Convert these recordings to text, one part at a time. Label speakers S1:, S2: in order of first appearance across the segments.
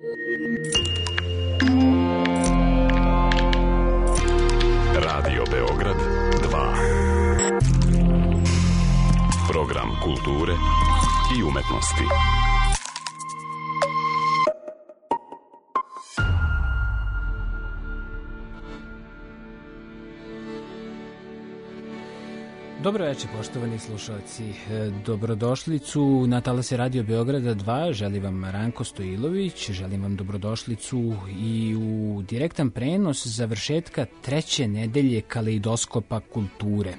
S1: Radio Beograd 2. Program kulture i umetnosti.
S2: Dobro večer, poštovani slušalci. Dobrodošlicu na talase Radio Beograda 2. Želi vam Ranko Stojilović, želim vam dobrodošlicu i u direktan prenos završetka treće nedelje Kaleidoskopa kulture.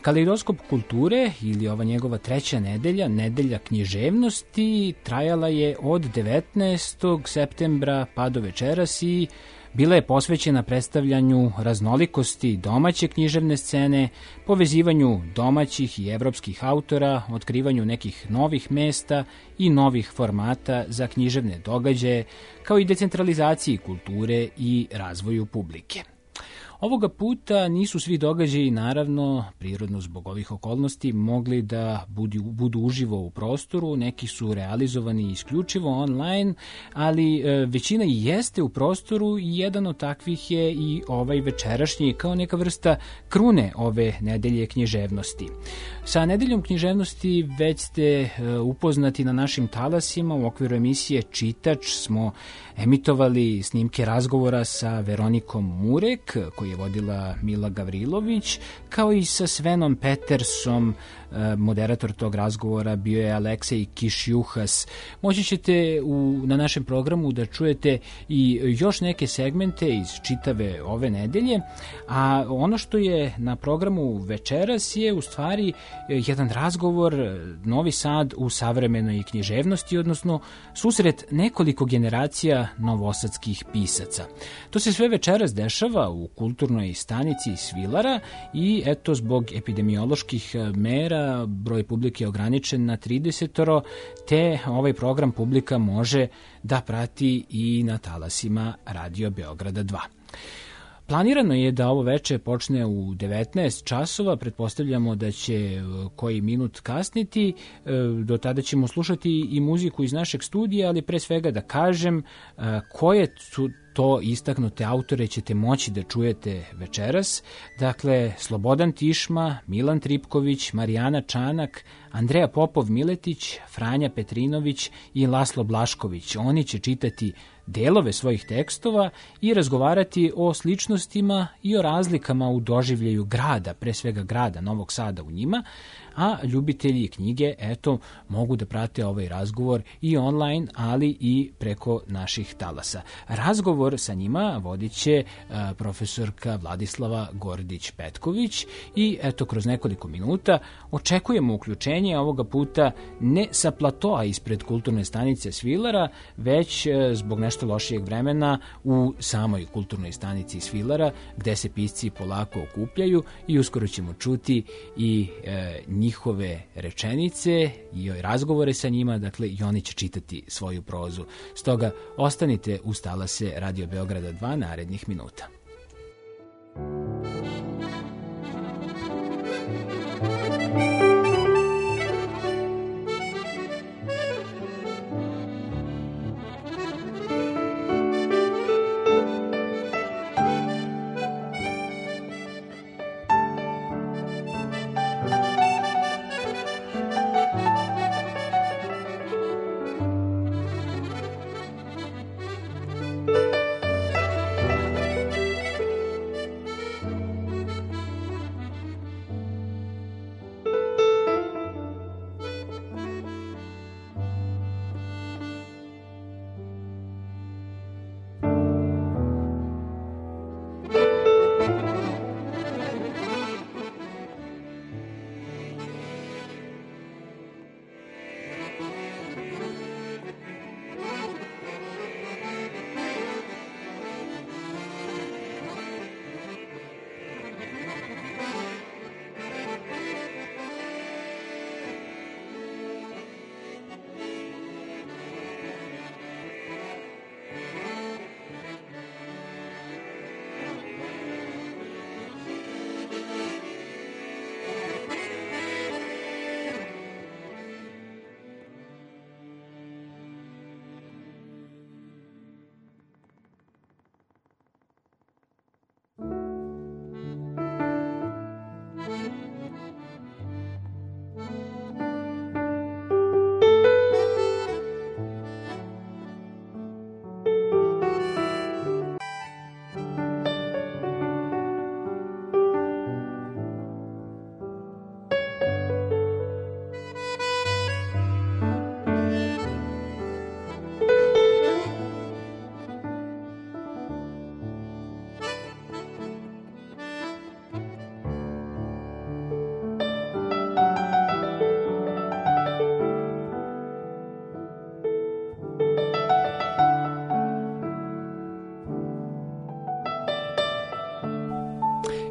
S2: Kaleidoskop kulture ili ova njegova treća nedelja, nedelja književnosti, trajala je od 19. septembra pa do večeras i bila je posvećena predstavljanju raznolikosti domaće književne scene, povezivanju domaćih i evropskih autora, otkrivanju nekih novih mesta i novih formata za književne događaje, kao i decentralizaciji kulture i razvoju publike. Ovoga puta nisu svi događaji, naravno, prirodno zbog ovih okolnosti, mogli da budu uživo u prostoru, neki su realizovani isključivo online, ali većina i jeste u prostoru i jedan od takvih je i ovaj večerašnji, kao neka vrsta krune ove nedelje književnosti. Sa nedeljom književnosti već ste upoznati na našim talasima. U okviru emisije Čitač smo emitovali snimke razgovora sa Veronikom Murek, koji je vodila Mila Gavrilović, kao i sa Svenom Petersom. Moderator tog razgovora bio je Aleksej Kišjuhas. Moći ćete na našem programu da čujete i još neke segmente iz čitave ove nedelje, a ono što je na programu večeras je u stvari jedan razgovor Novi Sad u savremenoj književnosti, odnosno susret nekoliko generacija novosadskih pisaca. To se sve večeras dešava u kulturnoj stanici Svilara i eto, zbog epidemioloških mera broj publike je ograničen na 30, te ovaj program publika može da prati i na talasima Radio Beograda 2. Planirano je da ovo veče počne u 19 časova, pretpostavljamo da će koji minut kasniti, do tada ćemo slušati i muziku iz našeg studija, ali pre svega da kažem koje su to istaknute autore ćete moći da čujete večeras. Dakle, Slobodan Tišma, Milan Tripković, Marijana Čanak, Andreja Popov-Miletić, Franja Petrinović i Laslo Blašković. Oni će čitati delove svojih tekstova i razgovarati o sličnostima i o razlikama u doživljaju grada, pre svega grada Novog Sada u njima, a ljubitelji knjige, eto, mogu da prate ovaj razgovor i online, ali i preko naših talasa. Razgovor sa njima vodit će profesorka Vladislava Gordić-Petković i eto, kroz nekoliko minuta očekujemo uključenje ovoga puta ne sa platoa ispred kulturne stanice Svilara, već zbog nešto lošijeg vremena u samoj kulturnoj stanici Svilara, gde se pisci polako okupljaju i uskoro ćemo čuti i njihove rečenice i razgovore sa njima, dakle i oni će čitati svoju prozu. Stoga ostanite uz talase Radio Beograda 2 narednih minuta.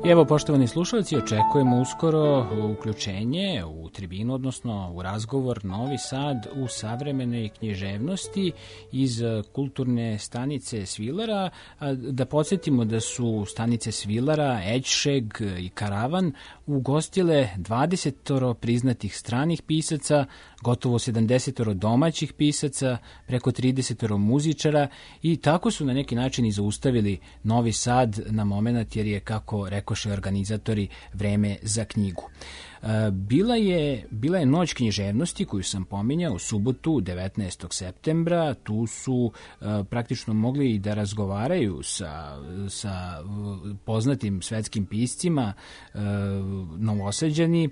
S2: Evo, poštovani slušalci, očekujemo uskoro uključenje u tribinu, odnosno u razgovor Novi Sad u savremenoj književnosti iz kulturne stanice Svilara. Da podsjetimo da su stanice Svilara, Eđšeg i Karavan ugostile 20 priznatih stranih pisaca, gotovo 70 domaćih pisaca, preko 30 muzičara i tako su na neki način i zaustavili Novi Sad na moment, jer je, kako rekoše organizatori, vreme za knjigu. Bila je noć književnosti koju sam pominjao u subotu 19. septembra. Tu su praktično mogli i da razgovaraju sa poznatim svetskim piscima Novosađani.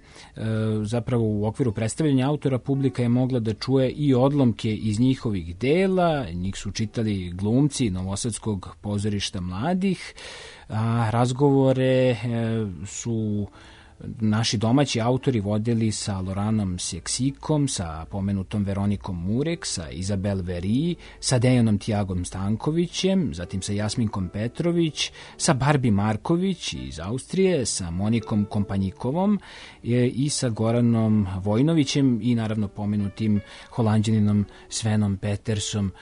S2: Zapravo u okviru predstavljanja autora publika je mogla da čuje i odlomke iz njihovih dela. Njih su čitali glumci Novosadskog pozorišta mladih. Razgovore su naši domaći autori vodili sa Loranom Seksikom, sa pomenutom Veronikom Murek, sa Izabel Veri, sa Dejanom Tijagom Stankovićem, zatim sa Jasminkom Petrović, sa Barbi Marković iz Austrije, sa Monikom Kompanjikovom i sa Goranom Vojnovićem i naravno pomenutim Holanđaninom Svenom Petersom,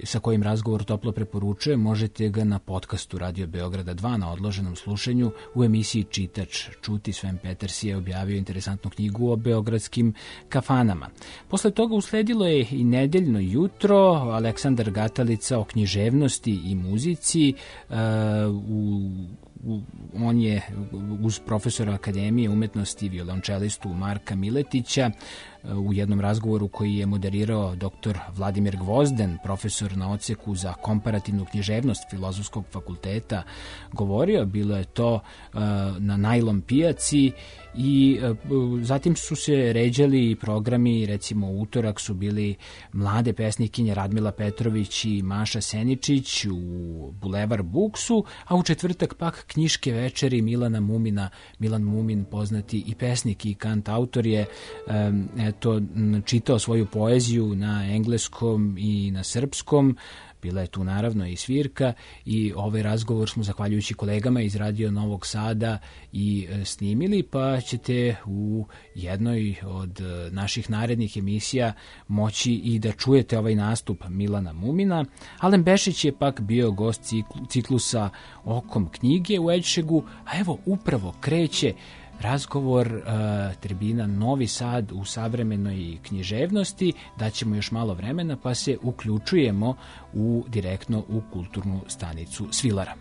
S2: sa kojim razgovor toplo preporučujem. Možete ga na podcastu Radio Beograda 2 na odloženom slušanju u emisiji Čitač čuti. Sven Peters je objavio interesantnu knjigu o beogradskim kafanama. Posle toga usledilo je i nedeljno jutro, Aleksandar Gatalica o književnosti i muzici. On je uz profesora Akademije umetnosti, violončelistu Marka Miletića, u jednom razgovoru koji je moderirao dr. Vladimir Gvozden, profesor na odseku za komparativnu književnost Filozofskog fakulteta, govorio. Bilo je to na Najlon pijaci i zatim su se ređali programi. Recimo u utorak su bili mlade pesnikinje Radmila Petrović i Maša Seničić u Bulevar Buksu, a u četvrtak pak knjiške večeri Milana Mumina. Milan Mumin, poznati i pesnik i kantautor, je čitao svoju poeziju na engleskom i na srpskom. Bila je tu naravno i svirka i ovaj razgovor smo, zahvaljujući kolegama iz Radio Novog Sada, i snimili, pa ćete u jednoj od naših narednih emisija moći i da čujete ovaj nastup Milana Mumina. Alen Bešić je pak bio gost ciklusa Okom knjige u Eđšegu, a evo upravo kreće razgovor tribina Novi Sad u savremenoj književnosti. Daćemo još malo vremena pa se uključujemo direktno u kulturnu stanicu Svilara.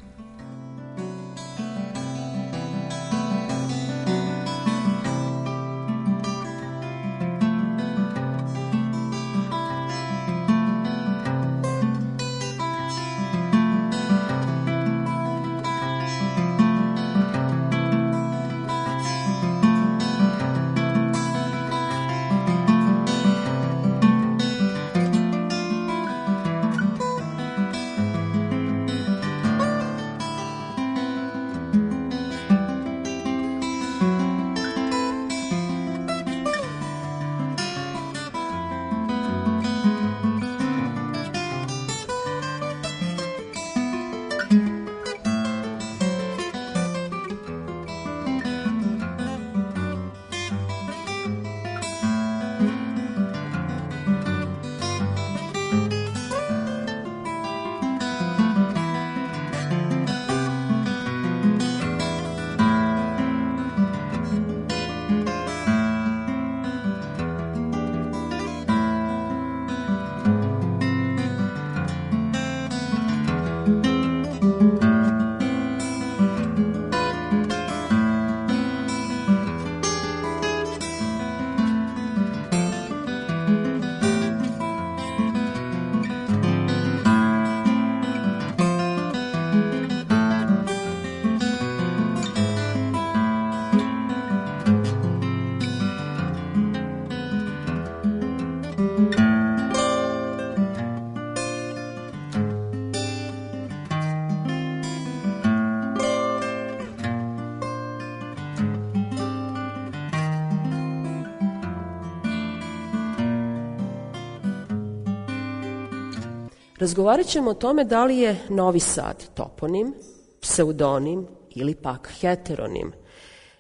S3: Razgovarat ćemo o tome da li je Novi Sad toponim, pseudonim ili pak heteronim?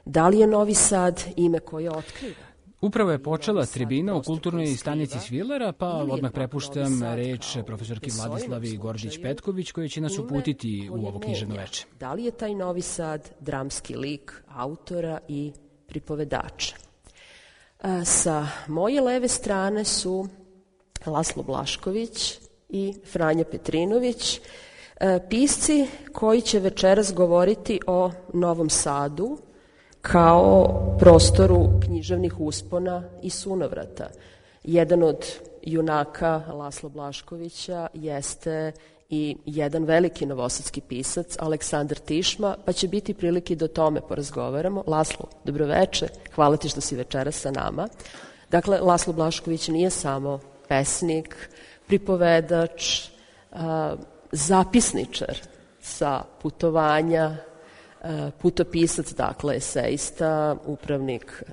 S3: Da li je Novi Sad ime koje otkriva?
S2: Upravo je počela tribina u kulturnoj stanici Svilera, pa odmah prepuštam reč profesorki Vladislavi Gordić-Petković, koja će nas uputiti u ovo književno veče.
S3: Da li je taj Novi Sad dramski lik autora i pripovedača? Sa moje leve strane su Laslo Blašković i Franja Petrinović, pisci koji će večeras govoriti o Novom Sadu kao prostoru književnih uspona i sunovrata. Jedan od junaka Lasla Blaškovića jeste i jedan veliki novosadski pisac, Aleksandar Tišma, pa će biti prilike da o tome porazgovaramo. Laslo, dobroveče, hvala ti što si večeras sa nama. Dakle, Laslo Blašković nije samo pesnik, pripovedač, zapisničar sa putovanja, putopisac, dakle, eseista, upravnik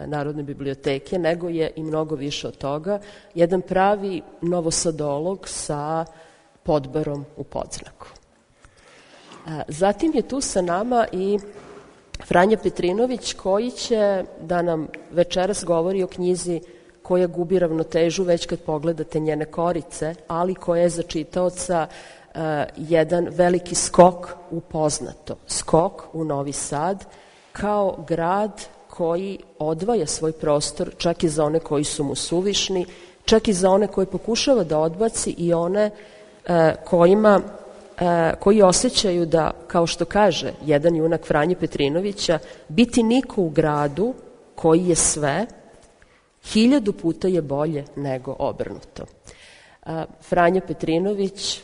S3: Narodne biblioteke, nego je i mnogo više od toga, jedan pravi novosadolog sa podbarom u podznaku. Zatim je tu sa nama i Franja Petrinović, koji će da nam večeras govori o knjizi koja gubi ravnotežu već kad pogledate njene korice, ali koja je za čitaoca jedan veliki skok u poznato, skok u Novi Sad, kao grad koji odvaja svoj prostor čak i za one koji su mu suvišni, čak i za one koje pokušava da odbaci i one koji osjećaju da, kao što kaže jedan junak Franje Petrinovića, biti niko u gradu koji je sve, 1000 puta je bolje nego obrnuto. Franja Petrinović,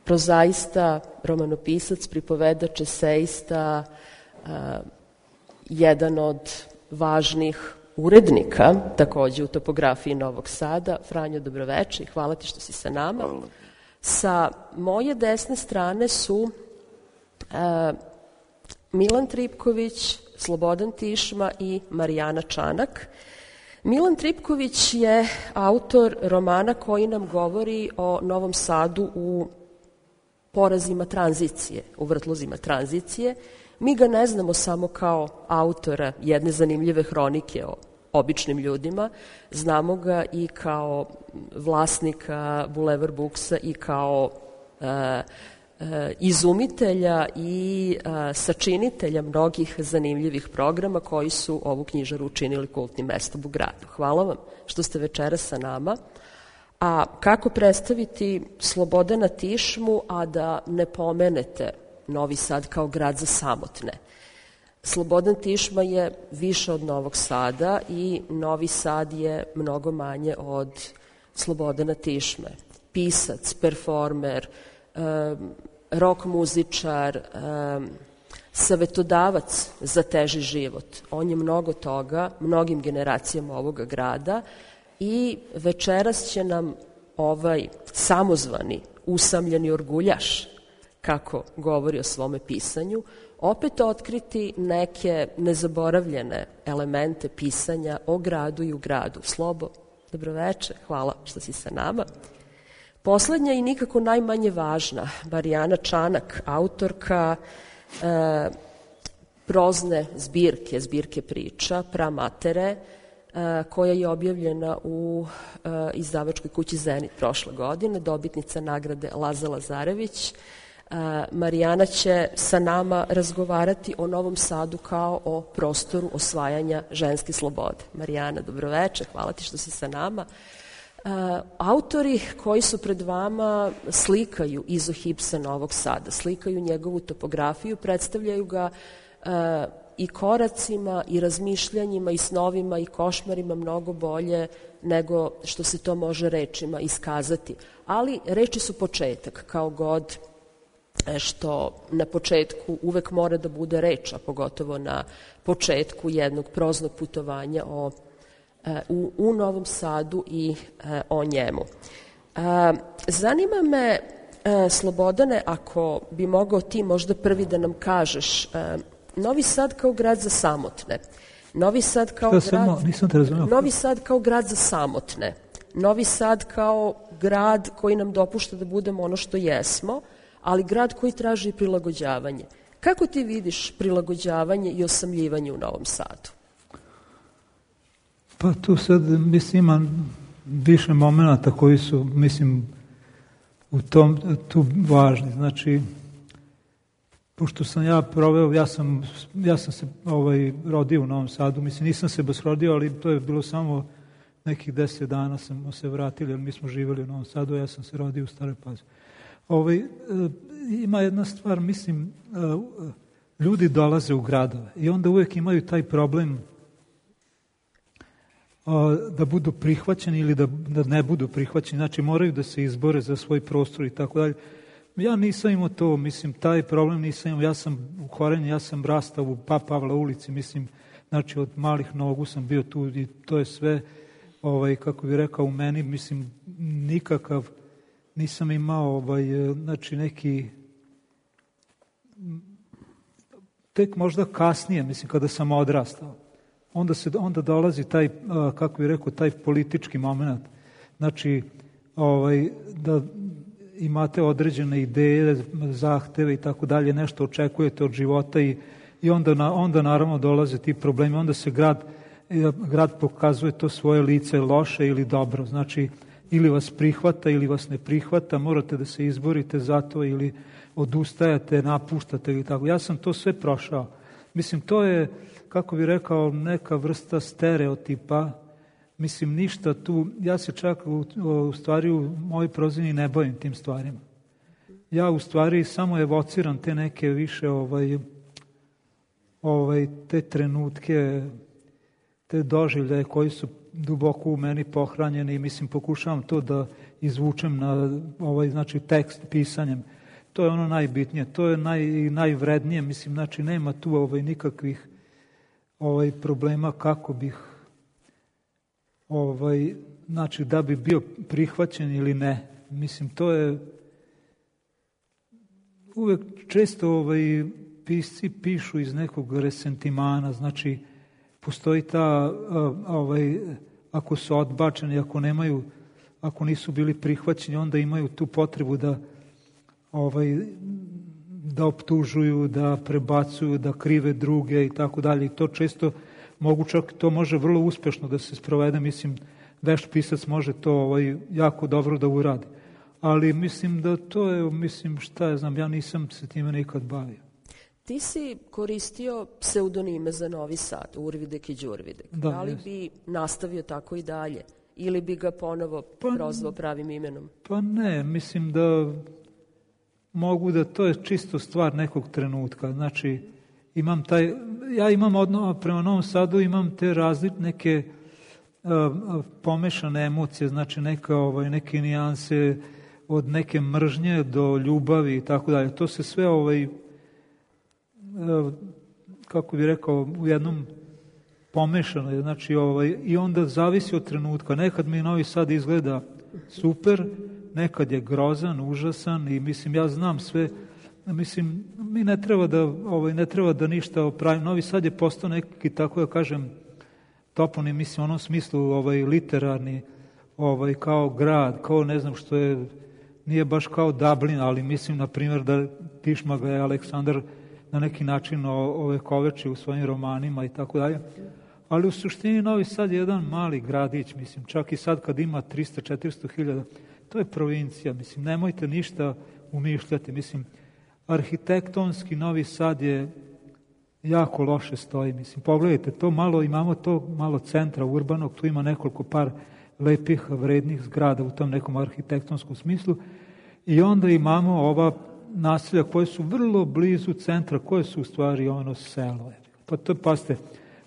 S3: prozaista, romanopisac, pripovedač, eseista, jedan od važnih urednika, takođe u topografiji Novog Sada. Franjo, dobroveče i hvala ti što si sa nama. Sa moje desne strane su Milan Tripković, Slobodan Tišma i Marijana Čanak. Milan Tripković je autor romana koji nam govori o Novom Sadu u porazima tranzicije, u vrtlozima tranzicije. Mi ga ne znamo samo kao autora jedne zanimljive hronike o običnim ljudima, znamo ga i kao vlasnika Bulevar Buksa i kao izumitelja i sačinitelja mnogih zanimljivih programa koji su ovu knjižaru učinili kultnim mestom u gradu. Hvala vam što ste večeras sa nama. A kako predstaviti Slobodana Tišmu, a da ne pomenete Novi Sad kao grad za samotne? Slobodan Tišma je više od Novog Sada i Novi Sad je mnogo manje od Slobodana Tišme. Pisac, performer, rock muzičar, savetodavac za teži život. On je mnogo toga, mnogim generacijama ovoga grada i večeras će nam ovaj samozvani, usamljeni orguljaš, kako govori o svome pisanju, opet otkriti neke nezaboravljene elemente pisanja o gradu i u gradu. Slobo, dobroveče, hvala što si sa nama. Poslednja i nikako najmanje važna, Marijana Čanak, autorka prozne zbirke priča, Pramatere, koja je objavljena u izdavačkoj kući Zenit prošle godine, dobitnica nagrade Laza Lazarević. Marijana će sa nama razgovarati o Novom Sadu kao o prostoru osvajanja ženske slobode. Marijana, dobroveče, hvala ti što si sa nama. Autori koji su pred vama slikaju izohipsa Novog Sada, slikaju njegovu topografiju, predstavljaju ga i koracima i razmišljanjima i snovima i košmarima mnogo bolje nego što se to može rečima iskazati. Ali reči su početak, kao god što na početku uvek mora da bude reč, a pogotovo na početku jednog proznog putovanja u Novom Sadu i o njemu. Zanima me, Slobodane, ako bi mogao ti možda prvi da nam kažeš, Novi Sad kao grad za samotne, Novi Sad kao grad za samotne, Novi Sad kao grad koji nam dopušta da budemo ono što jesmo, ali grad koji traži prilagođavanje. Kako ti vidiš prilagođavanje i osamljivanje u Novom Sadu?
S4: Pa tu sad, mislim, ima više momenata koji su, mislim, tu važni. Znači, pošto sam ja proveo, ja sam se rodio u Novom Sadu, mislim, nisam se baš rodio, ali to je bilo samo nekih 10 dana smo se vratili, jer mi smo živjeli u Novom Sadu, a ja sam se rodio u Staroj Pazovi. Ima jedna stvar, mislim, ljudi dolaze u gradove i onda uvijek imaju taj problem da budu prihvaćeni ili da ne budu prihvaćeni, znači moraju da se izbore za svoj prostor i tako dalje. Ja nisam imao to, mislim, taj problem nisam imao, ja sam u Korenju, ja sam rastao u Pavla ulici, mislim, znači od malih nogu sam bio tu i to je sve, kako bih rekao, u meni, mislim, nikakav, nisam imao, znači neki, tek možda kasnije, mislim, kada sam odrastao, onda dolazi taj, kako bih rekao, taj politički moment, znači, da imate određene ideje, zahteve i tako dalje, nešto očekujete od života i onda naravno dolaze ti problemi, onda se grad pokazuje to svoje lice loše ili dobro, znači ili vas prihvata ili vas ne prihvata, morate da se izborite za to ili odustajate, napuštate ili tako. Ja sam to sve prošao. Mislim, to je, kako bih rekao, neka vrsta stereotipa. Mislim, ništa tu, ja se čak u stvari u mojoj prozini ne bavim tim stvarima. Ja u stvari samo evociram te neke više te trenutke, te doživljaje koji su duboko u meni pohranjeni i mislim pokušavam to da izvučem na znači tekst pisanjem. To je ono najbitnije, to je najvrednije, mislim, znači nema tu nikakvih problema kako bih znači da bi bio prihvaćen ili ne. Mislim, to je uvek često pisci pišu iz nekog resentimana, znači postoji ta, ako su odbačeni, ako nisu bili prihvaćeni, onda imaju tu potrebu da optužuju, da prebacuju, da krive druge i tako dalje. I to često to može vrlo uspešno da se sprovede, mislim, vešt pisac može to jako dobro da uradi. Ali mislim da to je, mislim, šta ja znam, ja nisam se time nikad bavio.
S3: Ti si koristio pseudonime za Novi Sad, Urvidek i Đurvidek. Da li bi nastavio tako i dalje? Ili bi ga ponovo prozvao pravim imenom?
S4: Pa ne, mislim da mogu da to je čisto stvar nekog trenutka. Znači, ja imam prema Novom Sadu imam te neke pomešane emocije, znači neke nijanse od neke mržnje do ljubavi i tako dalje. To se sve kako bih rekao, u jednom pomešano, znači i onda zavisi od trenutka. Nekad mi Novi Sad izgleda super, nekad je grozan, užasan i mislim, ja znam sve, mislim, mi ne treba da ništa opravimo. Novi Sad je postao neki, tako da kažem, toponim, mislim, u onom smislu literarni, kao grad, kao ne znam što je, nije baš kao Dublin, ali mislim, na primjer, da Tišma ga je Aleksandar na neki način ovekoveči u svojim romanima i tako dalje. Ali u suštini Novi Sad je jedan mali gradić, mislim, čak i sad kad ima 300-400 hiljada, to je provincija, mislim, nemojte ništa umišljati, mislim, arhitektonski Novi Sad je jako loše stoji, mislim, pogledajte, to malo, imamo to malo centra urbanog, tu ima nekoliko par lepih, vrednih zgrada u tom nekom arhitektonskom smislu i onda imamo ova naselja koje su vrlo blizu centra, koje su u stvari selo. Pa to, pazite,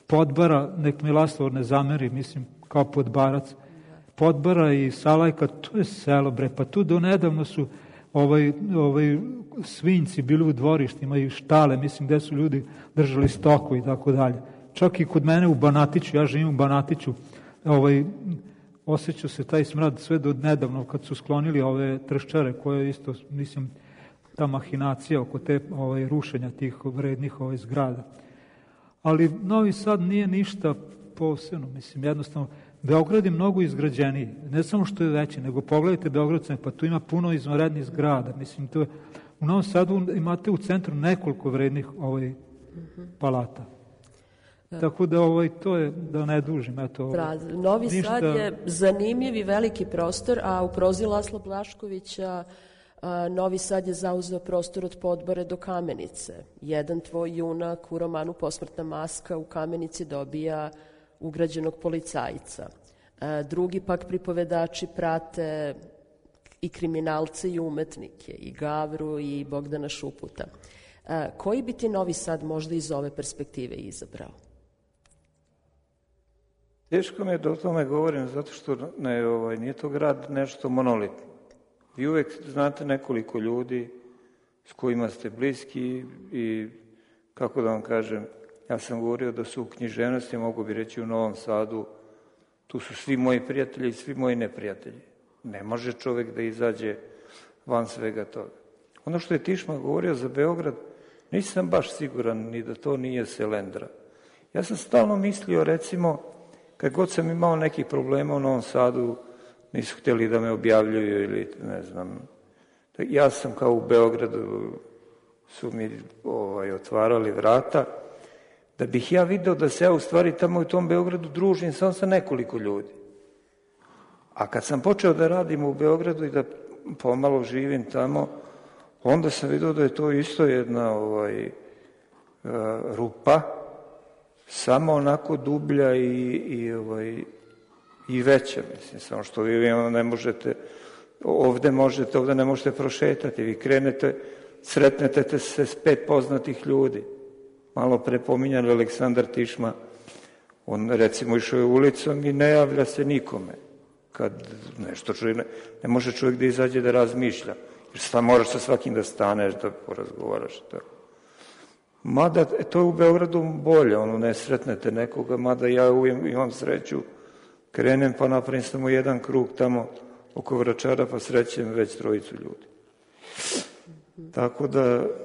S4: Podbara, nek mi Laslovor ne zameri, mislim, kao Podbarac, Podbara i Salajka, to je selo, bre, pa tu do nedavno su svinjci bili u dvorištima i štale, mislim, gde su ljudi držali stoku i tako dalje. Čak i kod mene u Banatiću, ja živim u Banatiću, osjeća se taj smrad sve do nedavno kad su sklonili ove trščare koje isto, mislim, ta mahinacija oko te rušenja tih vrednih zgrada. Ali Novi Sad nije ništa posebno, mislim, jednostavno, Beograd je mnogo izgrađeniji, ne samo što je veći, nego pogledajte Beogradce, pa tu ima puno izvanrednih zgrada, mislim, to je U Novom Sadu imate u centru nekoliko vrednih palata. Tako da to je, da ne dužim.
S3: Novi Sad je zanimljiv i veliki prostor, a u prozi Lasla Blaškovića Novi Sad je zauzeo prostor od Podbore do Kamenice. Jedan tvoj junak u romanu Posmrtna maska u Kamenici dobija ugrađenog policajca. Drugi pak pripovedači prate i kriminalce i umetnike, i Gavru i Bogdana Šuputa. Koji bi ti Novi Sad možda iz ove perspektive izabrao?
S5: Teško mi je da o tome govorim, zato što nije to grad nešto monolitno. Vi uvek znate nekoliko ljudi s kojima ste bliski i, kako da vam kažem, ja sam govorio da su u književnosti, mogu bi reći u Novom Sadu, tu su svi moji prijatelji i svi moji neprijatelji. Ne može čovek da izađe van svega toga. Ono što je Tišma govorio za Beograd, nisam baš siguran ni da to nije Selendra. Ja sam stalno mislio, recimo, kad god sam imao nekih problema u Novom Sadu, nisu htjeli da me objavljuju ili ne znam. Ja sam kao u Beogradu, su mi otvarali vrata, da bih ja video da se ja u stvari tamo u tom Beogradu družim samo sa nekoliko ljudi. A kad sam počeo da radim u Beogradu i da pomalo živim tamo, onda sam vidio da je to isto jedna rupa, samo onako dublja i veća, mislim, samo što vi ne možete, ovde ne možete prošetati, vi krenete, sretnete se s 5 poznatih ljudi. Malo pre pominjan Aleksandar Tišma, on recimo išao je ulicom i ne javlja se nikome. Kad nešto čovjek, ne može čovjek da izađe da razmišlja, jer moraš sa svakim da staneš, da porazgovaraš. Mada, to je u Beogradu bolje, ne sretnete nekoga, mada ja uvijek imam sreću, krenem pa napravim samo jedan krug tamo oko Vračara pa srećem već 3 ljudi. Tako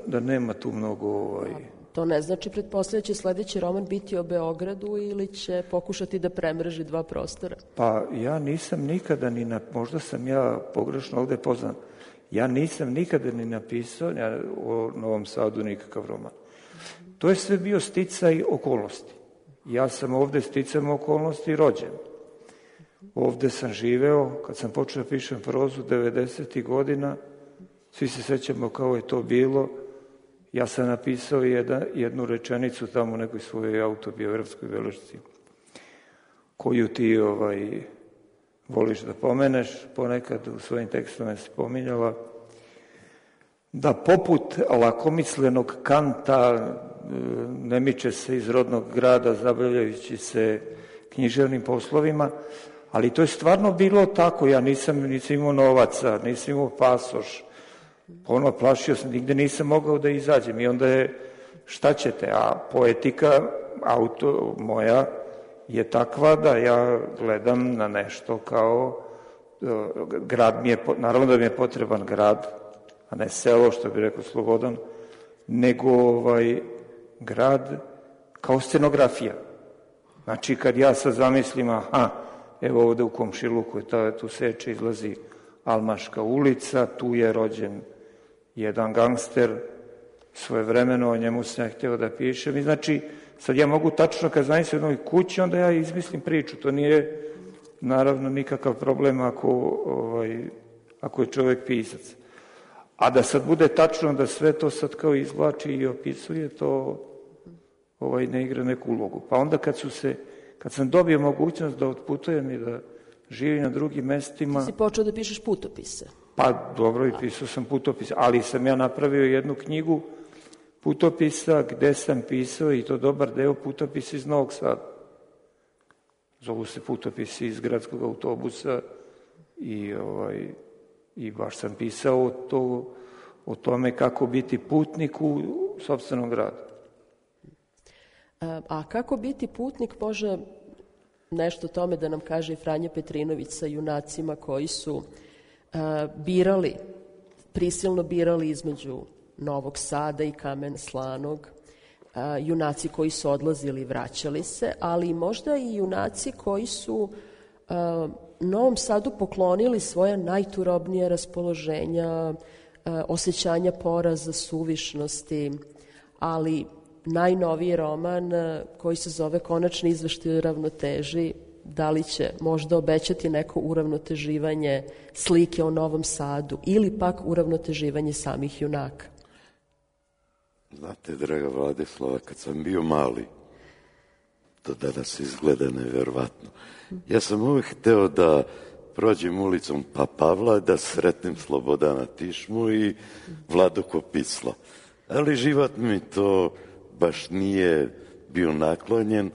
S5: da nema tu mnogo...
S3: To ne znači, pretpostavlja će sledeći roman biti o Beogradu ili će pokušati da premreži 2 prostora?
S5: Pa ja nisam nikada možda sam ja pogrešno ovde poznan, ja nisam nikada ni napisao o Novom Sadu nikakav roman. To je sve bio sticaj okolnosti. Ja sam ovde sticajem okolnosti rođen. Ovde sam živeo, kad sam počeo da pišem prozu 90. godina, svi se sećamo kao je to bilo, ja sam napisao jednu rečenicu tamo u nekoj svojoj autobiografskoj belešci, koju ti voliš da pomeneš, ponekad u svojim tekstovima si pominjala, da poput lakomislenog Kanta ne miče se iz rodnog grada zabavljajući se književnim poslovima, ali to je stvarno bilo tako, ja nisam imao novaca, nisam imao pasoš, plašio sam, nigde nisam mogao da izađem i onda je, šta ćete, a poetika moja je takva da ja gledam na nešto kao grad naravno da mi je potreban grad, a ne selo, što bi rekao Slobodan, nego grad kao scenografija. Znači, kad ja sad zamislim, evo ovde u komšiluku, tu seče, izlazi Almaška ulica, tu je rođen jedan gangster, svojevremeno o njemu sam ja hteo da pišem. I znači, sad ja mogu tačno, kad zamislim u jednoj kući, onda ja izmislim priču. To nije, naravno, nikakav problem ako je čovek pisac. A da sad bude tačno da sve to sad kao izvlači i opisuje, to ne igra neku ulogu. Pa onda kad sam dobio mogućnost da otputujem i da živim na drugim mestima...
S3: Ti si počeo da pišeš putopise.
S5: Pa dobro, i pisao sam putopise, ali sam ja napravio jednu knjigu putopisa gde sam pisao, i to dobar deo, putopisa iz Novog Sada. Zovu se putopisi iz gradskog autobusa i baš sam pisao o tome kako biti putnik u sopstvenom gradu.
S3: A kako biti putnik, može nešto o tome da nam kaže i Franja Petrinović sa junacima koji su prisilno birali između Novog Sada i Kamena Slanog, junaci koji su odlazili i vraćali se, ali možda i junaci koji su Novom Sadu poklonili svoja najturobnija raspoloženja, osjećanja poraza, suvišnosti, ali najnoviji roman koji se zove Konačni izveštaj o ravnoteži, da li će možda obećati neko uravnoteživanje slike o Novom Sadu ili pak uravnoteživanje samih junaka?
S6: Znate, draga Vladislava, kad sam bio mali, to danas izgleda neverovatno. Ja sam uvijek hteo da prođem ulicom Pavla, da sretnem Slobodana Tišmu i Vladu Kopisla. Ali život mi to baš nije bio naklonjen.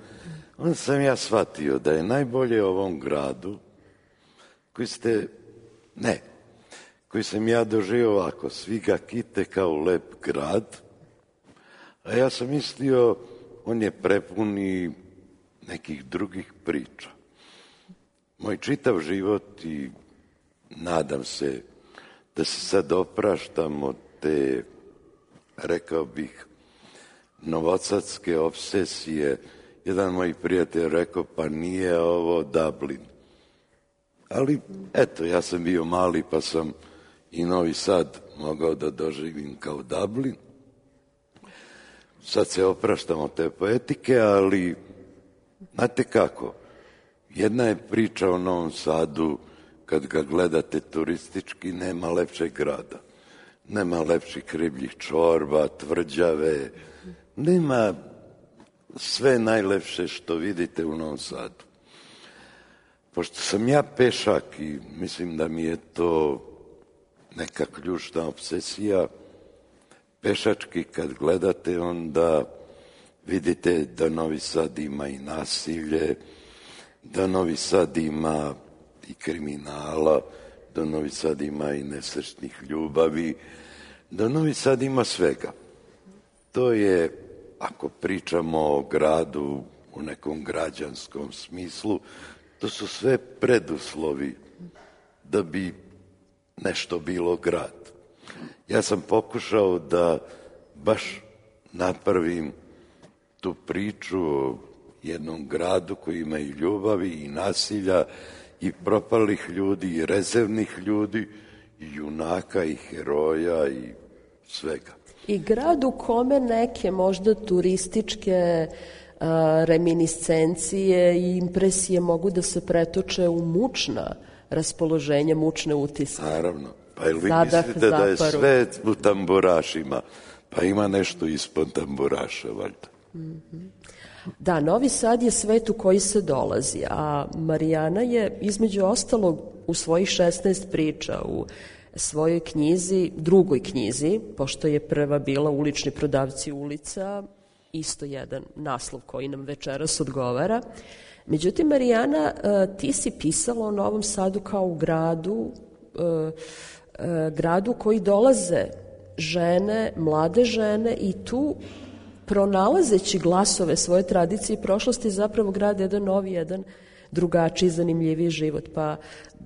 S6: Onda sam ja shvatio da je najbolje ovom gradu, koji sam ja doživio ovako, svi ga kite kao lep grad, a ja sam mislio, on je prepun i nekih drugih priča. Moj čitav život i nadam se da se sad opraštam od te, rekao bih, novosadske obsesije. Jedan moj prijatelj rekao, pa nije ovo Dublin. Ali, eto, ja sam bio mali pa sam i Novi Sad mogao da doživim kao Dublin. Sad se opraštamo te poetike, ali znate kako, jedna je priča o Novom Sadu, kad ga gledate turistički, nema lepšeg grada. Nema lepših ribljih čorba, tvrđave, nema sve najlepše što vidite u Novom Sadu. Pošto sam ja pešak i mislim da mi je to neka ključna obsesija, pešački kad gledate, onda vidite da Novi Sad ima i nasilje, da Novi Sad ima i kriminala, da Novi Sad ima i nesrećnih ljubavi, da Novi Sad ima svega. To je, ako pričamo o gradu u nekom građanskom smislu, to su sve preduslovi da bi nešto bilo grad. Ja sam pokušao da baš napravim tu priču o jednom gradu koji ima i ljubavi i nasilja i propalih ljudi i rezervnih ljudi i junaka i heroja i svega.
S3: I grad u kome neke možda turističke reminiscencije i impresije mogu da se pretoče u mučna raspoloženja, mučne utiske.
S6: Naravno. Pa ili vi mislite da je sve u tamburašima? Pa ima nešto ispod tamburaša, valjda.
S3: Da, Novi Sad je svet u koji se dolazi, a Marijana je između ostalog u svojih 16 priča u svojoj knjizi, drugoj knjizi, pošto je prva bila Ulični prodavci ulica, isto jedan naslov koji nam večeras odgovara. Međutim, Marijana, ti si pisala o Novom Sadu kao u gradu koji dolaze žene, mlade žene i tu pronalazeći glasove svoje tradicije i prošlosti zapravo grade jedan novi, jedan drugačiji, zanimljiviji život. Pa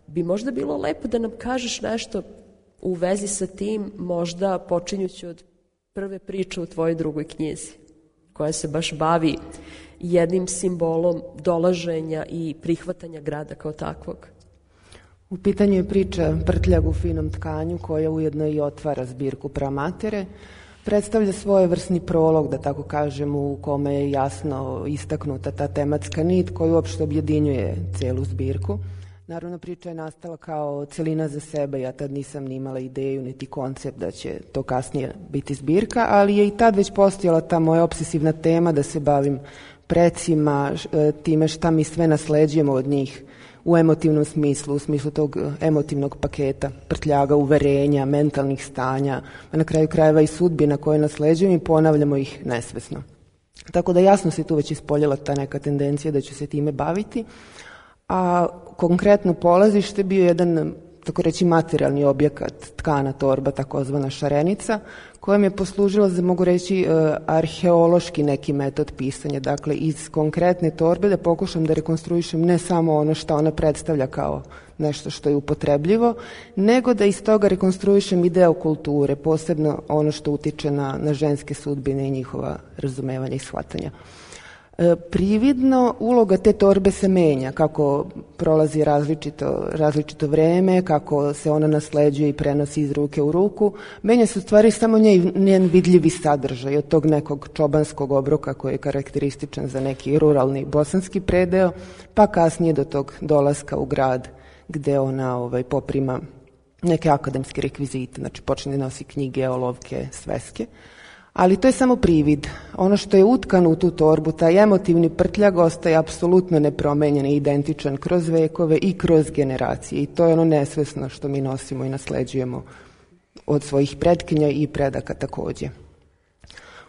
S3: bi možda bilo lepo da nam kažeš nešto u vezi sa tim, možda počinjući od prve priče u tvojoj drugoj knjizi, koja se baš bavi jednim simbolom dolaženja i prihvatanja grada kao takvog.
S7: U pitanju je priča Prtljag u finom tkanju, koja ujedno i otvara zbirku Pramatere. Predstavlja svojevrsni prolog, da tako kažem, u kome je jasno istaknuta ta tematska nit koja uopšte objedinjuje celu zbirku. Naravno, priča je nastala kao celina za sebe, ja tad nisam ni imala ideju niti koncept da će to kasnije biti zbirka, ali je i tad već postojala ta moja obsesivna tema da se bavim precima, time šta mi sve nasleđujemo od njih u emotivnom smislu, u smislu tog emotivnog paketa, prtljaga, uverenja, mentalnih stanja, a na kraju krajeva i sudbina koje nasleđujemo i ponavljamo ih nesvesno. Tako da jasno se tu već ispoljila ta neka tendencija da ću se time baviti, a konkretno polazište bio jedan, tako reći, materijalni objekat, tkana torba, takozvana šarenica, koja mi je poslužila za, mogu reći, arheološki neki metod pisanja. Dakle, iz konkretne torbe da pokušam da rekonstruišem ne samo ono što ona predstavlja kao nešto što je upotrebljivo, nego da iz toga rekonstruišem i deo kulture, posebno ono što utiče na ženske sudbine i njihova razumevanja i shvatanja. Prividno uloga te torbe se menja kako prolazi različito vreme, kako se ona nasleđuje i prenosi iz ruke u ruku. Menja se u stvari samo njen vidljivi sadržaj od tog nekog čobanskog obroka koji je karakterističan za neki ruralni bosanski predeo, pa kasnije do tog dolaska u grad gde ona poprima neke akademske rekvizite, znači počne da nosi knjige, olovke, sveske. Ali to je samo privid. Ono što je utkano u tu torbu, taj emotivni prtljag ostaje apsolutno nepromenjen i identičan kroz vekove i kroz generacije. I to je ono nesvesno što mi nosimo i nasleđujemo od svojih pretkinja i predaka takođe.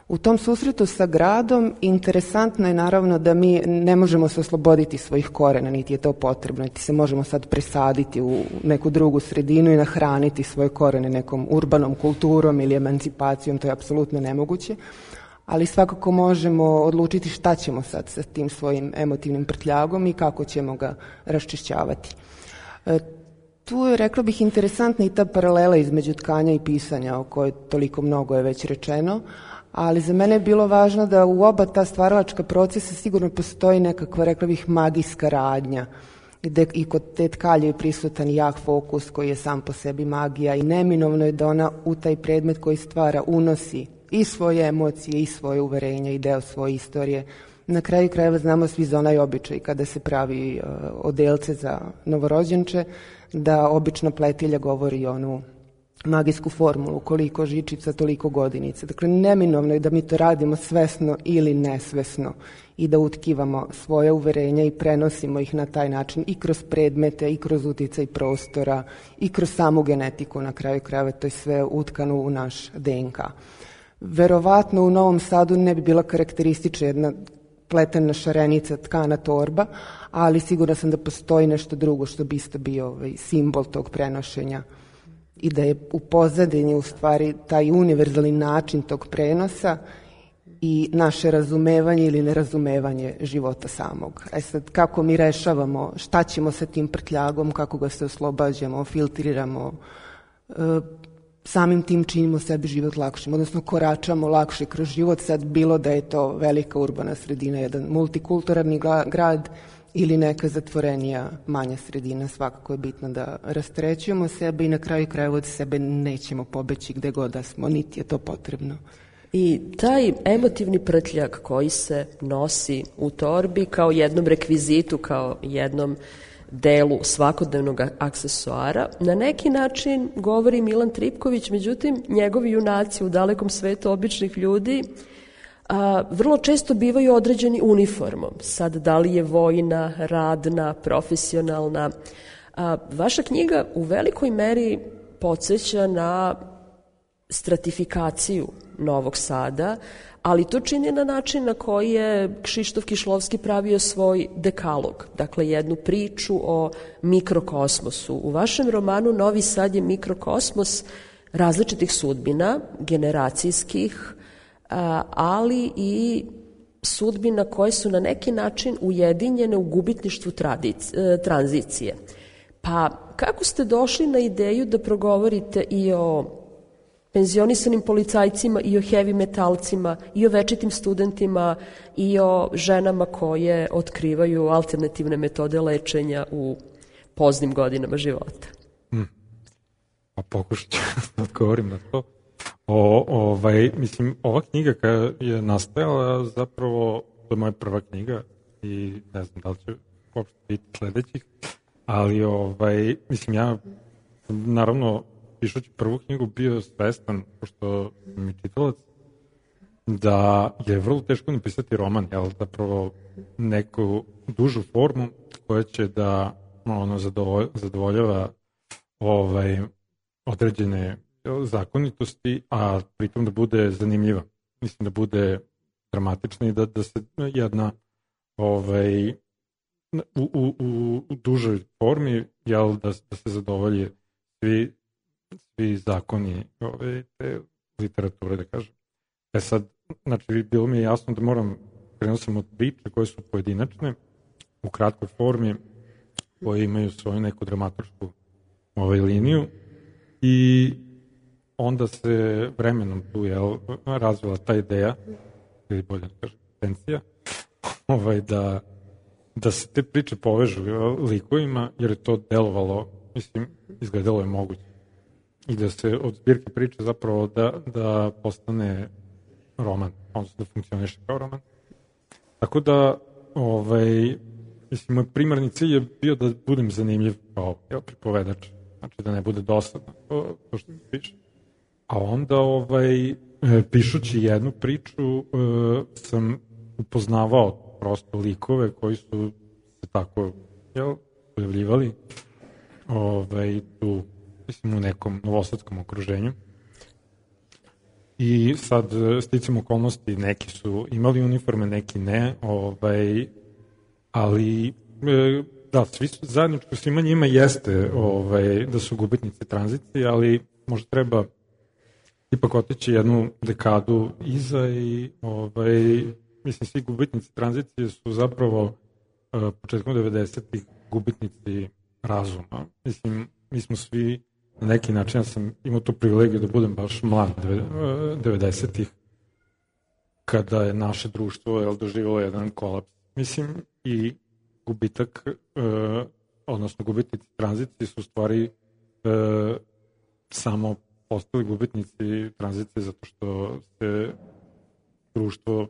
S7: U tom susretu sa gradom interesantno je naravno da mi ne možemo se osloboditi svojih korena, niti je to potrebno, niti se možemo sad presaditi u neku drugu sredinu i nahraniti svoje korene nekom urbanom kulturom ili emancipacijom, to je apsolutno nemoguće, ali svakako možemo odlučiti šta ćemo sad sa tim svojim emotivnim prtljagom i kako ćemo ga raščišćavati. Tu je, rekla bih, interesantna i ta paralela između tkanja i pisanja o kojoj toliko mnogo je već rečeno, ali za mene je bilo važno da u oba ta stvaralačka procesa sigurno postoji nekakva, rekla bih, magijska radnja, gde i kod te tkalje je prisutan jak fokus koji je sam po sebi magija i neminovno je da ona u taj predmet koji stvara unosi i svoje emocije i svoje uverenja i deo svoje istorije. Na kraju krajeva znamo svi za onaj običaj kada se pravi odelce za novorođenče, da obična pletilja govori onu magijsku formulu, koliko žičica, toliko godinica. Dakle, neminovno je da mi to radimo svesno ili nesvesno i da utkivamo svoje uverenja i prenosimo ih na taj način i kroz predmete, i kroz uticaj prostora, i kroz samu genetiku. Na kraju krajeva to je sve utkano u naš DNK. Verovatno u Novom Sadu ne bi bila karakteristična jedna pletena šarenica, tkana torba, ali sigurno sam da postoji nešto drugo što bi isto bio simbol tog prenošenja i da je u pozadini u stvari taj univerzalni način tog prenosa i naše razumevanje ili nerazumevanje života samog. Sad, kako mi rešavamo, šta ćemo sa tim prtljagom, kako ga se oslobađamo, filtriramo, samim tim činimo sebi život lakšim, odnosno koračamo lakše kroz život, sad bilo da je to velika urbana sredina, jedan multikulturalni grad ili neka zatvorenija manja sredina, svakako je bitno da rastrećujemo sebe i na kraju krajeva od sebe nećemo pobeći gde god da smo, niti je to potrebno.
S3: I taj emotivni prtljag koji se nosi u torbi kao jednom rekvizitu, kao jednom delu svakodnevnog aksesuara, na neki način govori Milan Tripković, međutim njegovi junaci u dalekom svetu običnih ljudi vrlo često bivaju određeni uniformom. Sad, da li je vojna, radna, profesionalna. Vaša knjiga u velikoj meri podsjeća na stratifikaciju Novog Sada, ali to čini na način na koji je Kšištof Kišlovski pravio svoj dekalog, dakle jednu priču o mikrokosmosu. U vašem romanu Novi Sad je mikrokosmos različitih sudbina, generacijskih, ali i sudbina koje su na neki način ujedinjene u gubitništvu tranzicije. Pa kako ste došli na ideju da progovorite i o penzionisanim policajcima, i o heavy metalcima, i o večitim studentima, i o ženama koje otkrivaju alternativne metode lečenja u poznim godinama života?
S8: Pa pokušat ću da odgovorim na to. Mislim, ova knjiga koja je nastajala zapravo, to je moja prva knjiga i ne znam da li će uopšte biti sledećih, ali mislim, ja naravno pišući prvu knjigu bio svestan, pošto mi čitalac, da je vrlo teško napisati roman, jel, zapravo neku dužu formu koja će da zadovoljava određene zakonitosti, a pritom da bude zanimljiva. Mislim da bude dramatična i da se jedna u dužoj formi, jel, da se zadovolje svi zakoni te literature, da kažem. Sad, znači, bilo mi je jasno da krenuo sam od priče koje su pojedinačne, u kratkoj formi, koje imaju svoju neku dramaturšku liniju i onda se vremenom tu razvila ta ideja, ili bolje da kažem, intencija, da se te priče povežu likovima, jer je to delovalo, mislim, izgledalo je moguće. I da se od zbirke priče zapravo da postane roman, odnosno da funkcioniše kao roman. Tako da, mislim, moj primarni cilj je bio da budem zanimljiv kao pripovedač, znači da ne bude dosadno to što piše. A onda, pišući jednu priču, sam upoznavao prosto likove koji su se tako pojavljivali tu, mislim, u nekom novosadskom okruženju. I sad, sticam okolnosti, neki su imali uniforme, neki ne, ali da, svi su zajedničko, svima njima jeste da su gubitnici tranzicije, ali možda treba ipak otići jednu dekadu iza i mislim, svi gubitnici tranzicije su zapravo početkom 90-ih gubitnici razuma. Mislim, mi smo svi na neki način, ja sam imao tu privilegiju da budem baš mlad 90-ih, kada je naše društvo doživjelo jedan kolaps. Mislim, i gubitak, odnosno gubitnici tranzicije su u stvari samo postali gubitnici tranzicije zato što se društvo,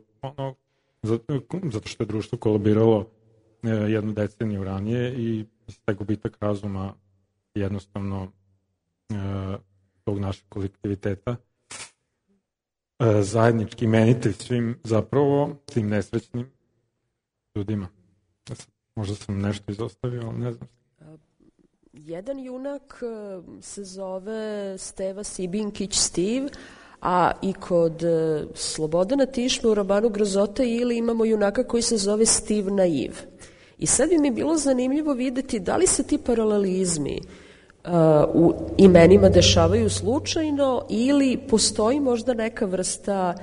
S8: zato što je društvo kolabiralo jednu deceniju ranije i taj gubitak razuma jednostavno tog našeg kolektiviteta zajednički imenitelj svim zapravo tim nesrećnim ljudima. Možda sam nešto izostavio, ali ne znam.
S3: Jedan junak se zove Steva Sibinkić Stiv, a i kod Slobodana Tišme u romanu Grozota ili imamo junaka koji se zove Stiv Naiv. I sad bi mi bilo zanimljivo videti da li se ti paralelizmi u imenima dešavaju slučajno ili postoji možda neka vrsta,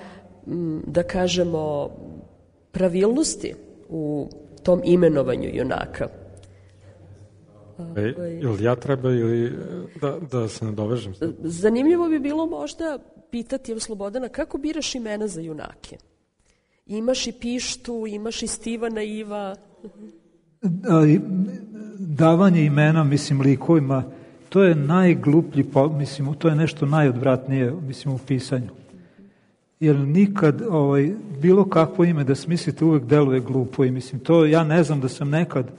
S3: da kažemo, pravilnosti u tom imenovanju junaka.
S8: Ili ja treba ili da se nadovežem?
S3: Zanimljivo bi bilo možda pitati Slobodana kako biraš imena za junake? Imaš i Pištu, imaš i Stiva Naiva.
S4: Davanje imena, mislim, likovima, to je najgluplji, mislim, to je nešto najodvratnije, mislim, u pisanju. Jer nikad bilo kakvo ime da smislite uvek deluje glupo i mislim, to ja ne znam da sam nekad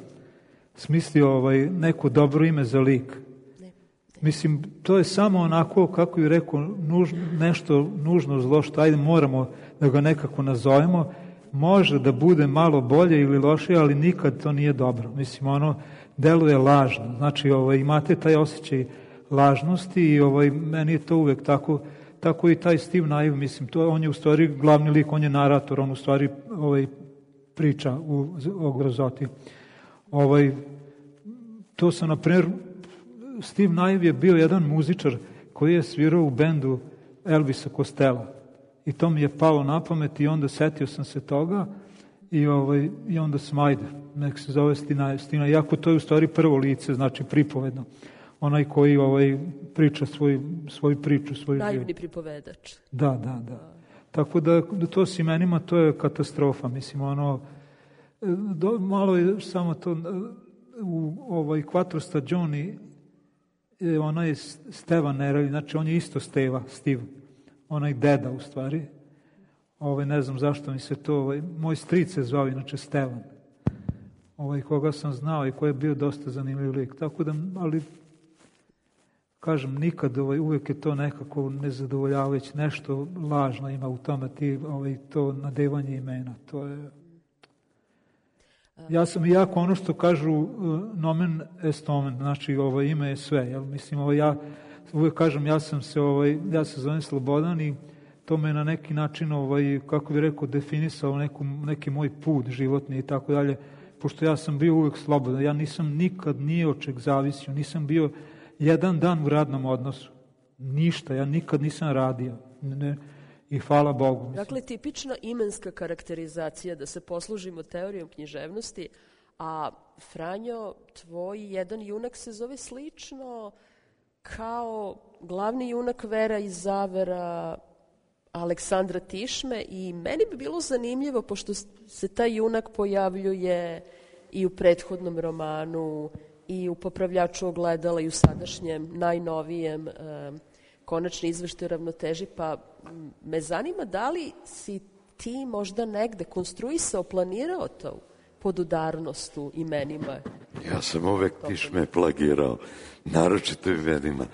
S4: smislio neko dobro ime za lik. Mislim, to je samo onako, kako je rekao, nešto nužno zlo što ajde moramo da ga nekako nazovemo, može da bude malo bolje ili lošije, ali nikad to nije dobro. Mislim, ono deluje lažno. Znači, imate taj osjećaj lažnosti i meni je to uvek tako i taj Stiv Naiv, mislim, on je u stvari glavni lik, on je narator, on u stvari priča o Grozoti. To sam, na primjer, Stiv Naiv je bio jedan muzičar koji je svirao u bendu Elvisa Costello. I to mi je palo na pamet i onda setio sam se toga i onda sam, ajde, nek se zove Stina. Iako to je u stvari prvo lice, znači pripovedno. Onaj koji priča svoju priču, svoju život.
S3: Naivni pripovedač.
S4: Da. Tako da to s imenima, to je katastrofa. Mislim, malo je samo to, u Quattro stagioni, ona je Steva Nerelli, znači on je isto Stiv, onaj deda u stvari. Ne znam zašto mi se to, moj stric se zvao inače Stevan, koga sam znao i koji je bio dosta zanimljiv lik. Tako da, ali kažem, nikad, uvek je to nekako nezadovoljavajuće, nešto lažno ima u tome, to nadevanje imena, to je... Ja sam jako ono što kažu nomen est omen, znači ime je sve, jel? Mislim, ja uvek kažem, ja se zovem Slobodan i to me na neki način, kako bih rekao, definisao neki moj put životni i tako dalje, pošto ja sam bio uvek slobodan, ja nisam nikad nije od čeg zavisio, nisam bio jedan dan u radnom odnosu, ništa, ja nikad nisam radio, i hvala Bogu.
S3: Dakle, tipična imenska karakterizacija, da se poslužimo teorijom književnosti, a Franjo, tvoj jedan junak se zove slično kao glavni junak Vera i Zavera, Aleksandra Tišme i meni bi bilo zanimljivo, pošto se taj junak pojavljuje i u prethodnom romanu i u Popravljaču ogledala i u sadašnjem, najnovijem Konačni izveštaj o ravnoteži, pa me zanima da li si ti možda negde konstruisao, planirao to podudarnost u imenima?
S6: Ja sam uvek Tišme plagirao, naročito imenima.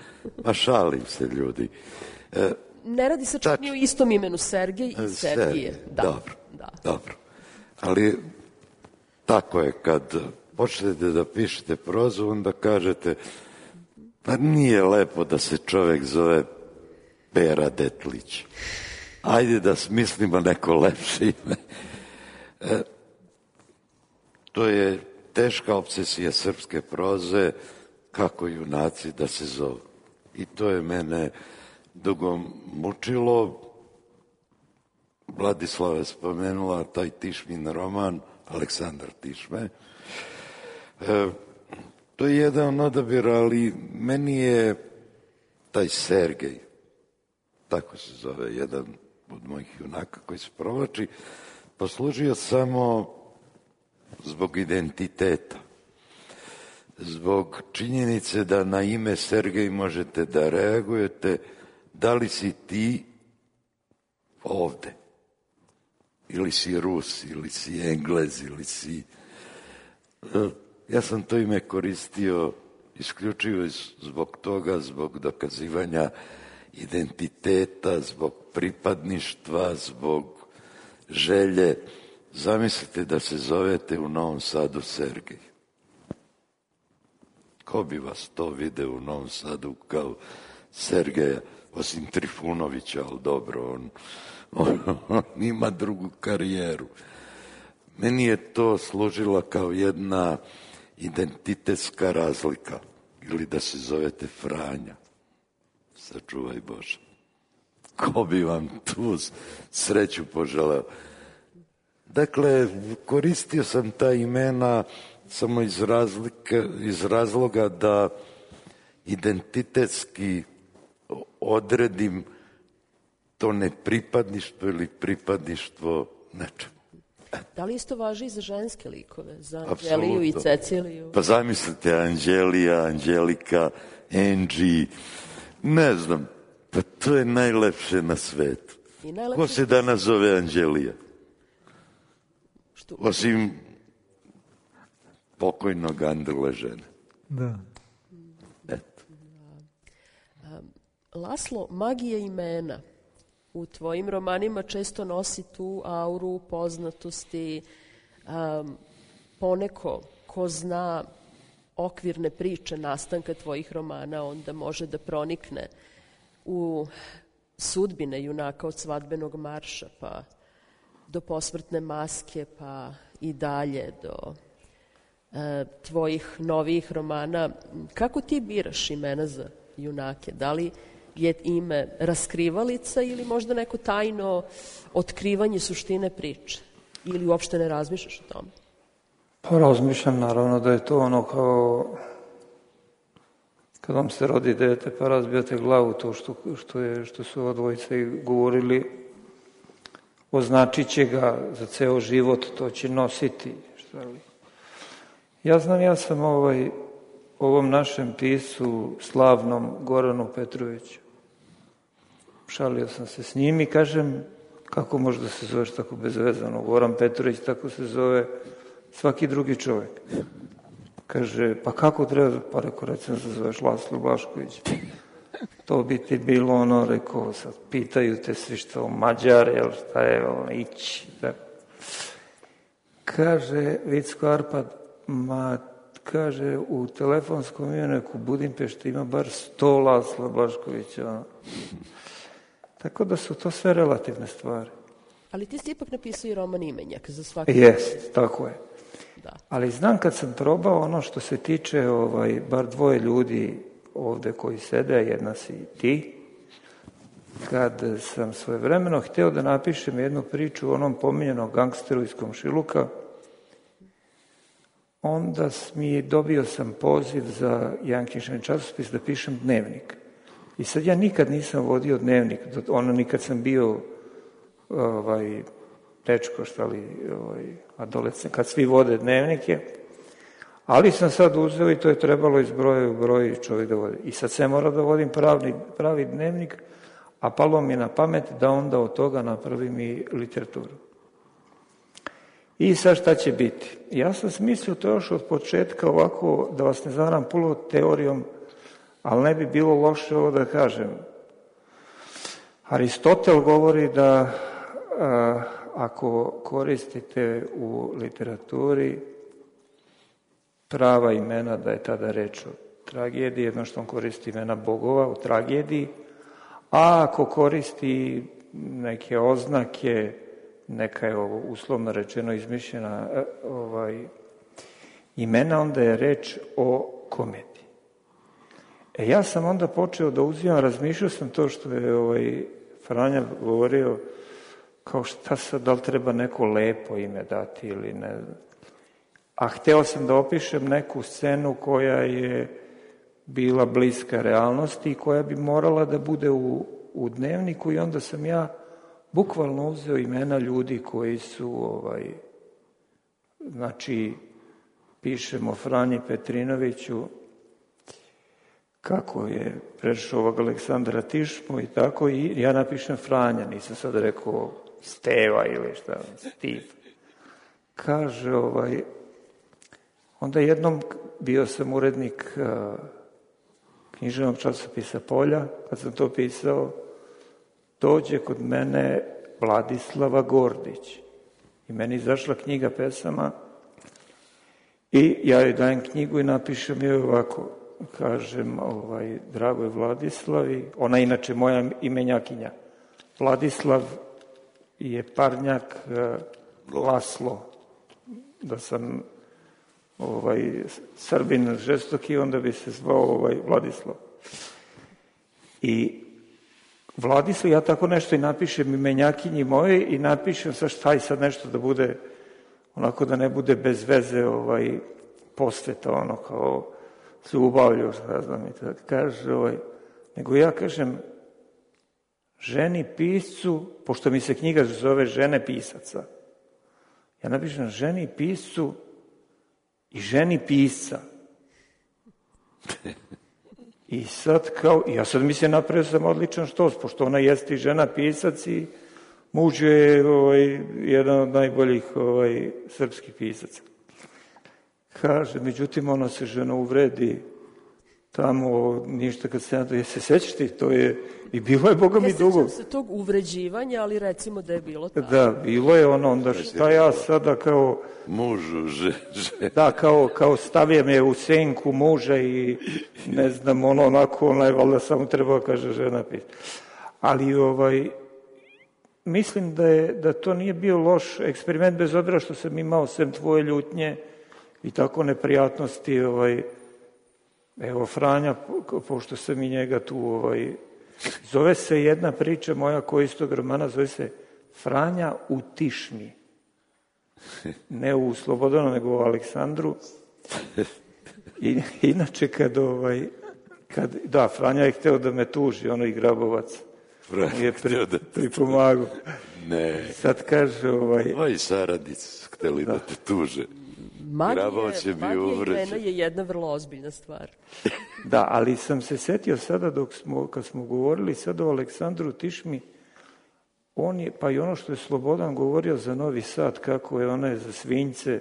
S6: Ma šalim se, ljudi.
S3: Ne radi se čak ni o istom imenu, Sergej i Sergije.
S6: Dobro. Ali tako je, kad počnete da pišete prozu, onda kažete, pa nije lepo da se čovek zove Pera Detlić. Ajde da smislimo neko lepše ime. To je teška obsesija srpske proze, kako junaci da se zovu. I to je mene dugo mučilo. Vladislava je spomenula taj Tišmin roman, Aleksandar Tišme. To je jedan odabir, ali meni je taj Sergej, tako se zove jedan od mojih junaka koji se provlači, poslužio samo zbog identiteta, zbog činjenice da na ime Sergej možete da reagujete, da li si ti ovde, ili si Rus, ili si Englez, ili si... Ja sam to ime koristio isključivo zbog toga, zbog dokazivanja identiteta, zbog pripadništva, zbog želje. Zamislite da se zovete u Novom Sadu Sergej. Ko bi vas to video u Novom Sadu kao Sergeja, osim Trifunovića, ali dobro, on ima drugu karijeru. Meni je to služila kao jedna identitetska razlika, ili da se zovete Franja. Sačuvaj Bože. Ko bi vam tu sreću poželeo? Dakle, koristio sam ta imena samo iz razloga da identitetski odredim to nepripadništvo ili pripadništvo nečemu.
S3: Da li isto važi i za ženske likove, za Anđeliju i Ceciliju?
S6: Pa zamislite, Anđelija, Anđelika, Angie, ne znam, pa to je najlepše na svetu. Ko se danas zove Anđelija? Osim pokojnog Andrle žene.
S4: Da.
S6: Eto.
S3: Laslo, magija imena u tvojim romanima često nosi tu auru poznatosti. Poneko ko zna okvirne priče nastanka tvojih romana, onda može da pronikne u sudbine junaka od Svadbenog marša, pa do Posmrtne maske, pa i dalje do tvojih novijih romana. Kako ti biraš imena za junake? Da li je ime raskrivalica ili možda neko tajno otkrivanje suštine priče? Ili uopšte ne razmišljaš o tome?
S5: Pa razmišljam, naravno da je to ono kao kad vam se rodi dete pa razbijate glavu, to što su ova dvojica i govorili, označit će ga za ceo život, to će nositi. Ja znam, ja sam ovom našem pisu, slavnom Goranu Petroviću, šalio sam se s njim i kažem, kako može da se zoveš tako bezvezano? Goran Petrović, tako se zove svaki drugi čovjek. Kaže, pa kako treba? Pa rekao, recimo se zoveš Laslo Blašković. To bi ti bilo ono, rekao, sad pitaju te svi što Mađar, jel šta je, ići. Kaže Vicko Arpad, kaže, u telefonskom imeniku Budimpešti ima bar 100 Lasla Blaškovića. Tako da su to sve relativne stvari.
S3: Ali ti si ipak napisao i roman Imenjak za svaki...
S5: Jest, tako je.
S3: Da.
S5: Ali znam kad sam probao ono što se tiče bar dvoje ljudi ovde koji sede, jedna si ti, kad sam svojevremeno hteo da napišem jednu priču o onom pominjenom gangsteru iz Komšiluka, onda dobio sam poziv za jedan književni časopis da pišem dnevnik. I sad ja nikad nisam vodio dnevnik, ono nikad sam bio dečko, adolescent, kad svi vode dnevnike, ali sam sad uzeo i to je trebalo iz broja u broj čovjek da vodi. I sad se mora da vodim pravi dnevnik, a palo mi na pamet da onda od toga napravim i literaturu. I sad šta će biti? Ja sam smislio to još od početka ovako, da vas ne zavaram puno teorijom, ali ne bi bilo loše ovo da kažem. Aristotel govori da ako koristite u literaturi prava imena, da je tada reč o tragediji, jedno što on koristi imena bogova u tragediji, a ako koristi neke oznake, neka je ovo uslovno rečeno izmišljena imena, onda je reč o komediji. Ja sam onda počeo da uzimam, razmišljao sam to što je Franja govorio, kao šta sad, da li treba neko lepo ime dati ili ne znam. A hteo sam da opišem neku scenu koja je bila bliska realnosti i koja bi morala da bude u dnevniku i onda sam ja bukvalno uzeo imena ljudi koji su, znači, pišemo Franji Petrinoviću, kako je prešao ovog Aleksandra Tišmu i tako, i ja napišem Franja, nisam sad rekao Steva ili šta, Steve. Kaže, onda jednom bio sam urednik književnog časopisa Polja, kad sam to pisao, dođe kod mene Vladislava Gordić i meni izašla knjiga pesama i ja joj dajem knjigu i napišem joj ovako, kažem, dragoj Vladislavi, ona je inače moja imenjakinja, Vladislav je parnjak Laslo, da sam Srbin žestoki, onda bi se zvao Vladislav. I Vladislav, ja tako nešto i napišem imenjakinji moje i napišem šta i sad nešto da bude, onako da ne bude bez veze posveta, ono kao ljubavlju, šta znam i tako. Kaže, nego ja kažem ženi piscu, pošto mi se knjiga zove Žene pisaca, ja napišem ženi piscu i ženi pisca. I sad kao, ja sad mislim napravio sam odličan štos, pošto ona jeste i žena pisac i muž je jedan od najboljih srpskih pisaca. Kaže, međutim, ona se žena uvredi tamo, ništa kad se nada, se sećaš ti, to je, i bilo je, Boga mi, dugo.
S3: Ne sećam se tog uvređivanja, ali recimo da je bilo tako.
S5: Da, bilo je ono, onda šta ja sada kao...
S6: Mužu,
S5: Da, kao stavio me u senku muža i ne znam, onako, valjda samo trebao kaže žena pisa. Ali, mislim da to nije bio loš eksperiment, bez obzira što sam imao sem tvoje ljutnje i tako neprijatnosti, evo Franja, pošto sam i njega tu, zove se jedna priča moja koja iz tog romana, zove se Franja u Tišmi. Ne u Slobodanu, nego u Aleksandru. I inače da, Franja je hteo da me tuži, ono i Grabovac.
S6: Franja je hteo da
S5: pripomagu.
S6: Ne.
S5: Sad kaže...
S6: Ovi saradnici hteli da te tuže.
S3: Magija imena je jedna vrlo ozbiljna stvar.
S5: Da, ali sam se setio sada kad smo govorili sada o Aleksandru Tišmi, pa i ono što je Slobodan govorio za Novi Sad, kako je ona za svinjce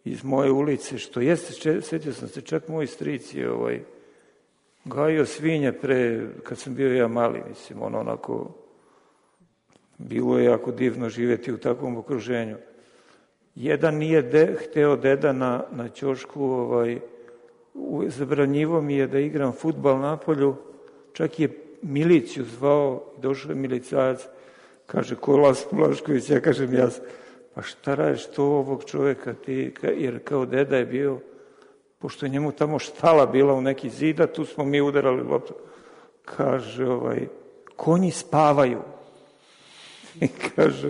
S5: iz moje ulice, što jeste, setio sam se, čak moj stric je gajio svinje kad sam bio ja mali, mislim, onako, bilo je jako divno živjeti u takvom okruženju. Jedan nije hteo deda na ćošku, zabranjivo mi je da igram fudbal na polju, čak je miliciju zvao, došao je milicajac, kaže, ko Las Blašković, ja kažem, pa šta radiš to ovog čoveka ti, jer kao deda je bio, pošto je njemu tamo štala bila u neki zida, tu smo mi udarali loptu, kaže, konji spavaju. I kaže,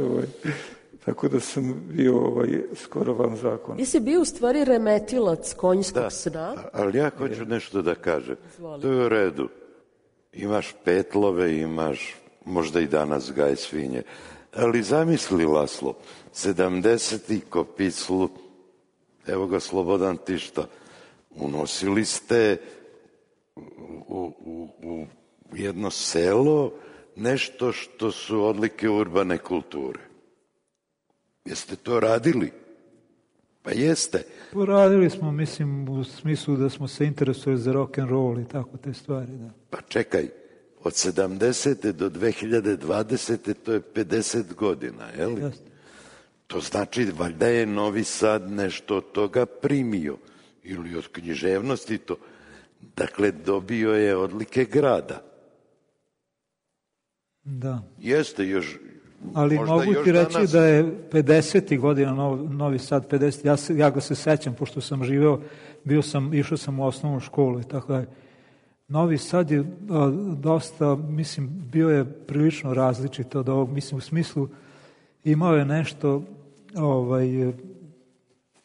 S5: tako da sam bio skoro van zakona.
S3: Ti si bio u stvari remetilac konjskog sna.
S6: Ali ja hoću nešto da kažem. To je u redu. imaš petlove, imaš možda i danas gaj svinje. Ali zamisli, Laslo, 70. Kopiclu, evo ga Slobodan Tišta, unosili ste u jedno selo nešto što su odlike urbane kulture. Jeste to radili? Pa jeste.
S4: Poradili smo, mislim, u smislu da smo se interesovali za rock and roll i tako te stvari, da.
S6: Pa čekaj, od 70. do 2020. to je 50 godina, je li?
S4: Jeste.
S6: To znači, valjda je Novi Sad nešto od toga primio, ili od književnosti to. Dakle, dobio je odlike grada.
S4: Da.
S6: Jeste još...
S4: Ali mogu ti reći danas... da je 50. godina Novi Sad, 50. Ja ga se sećam, pošto sam živeo, išao sam u osnovnu školu i tako dalje. Novi Sad je dosta, mislim, bio je prilično različit od ovog, mislim, u smislu imao je nešto,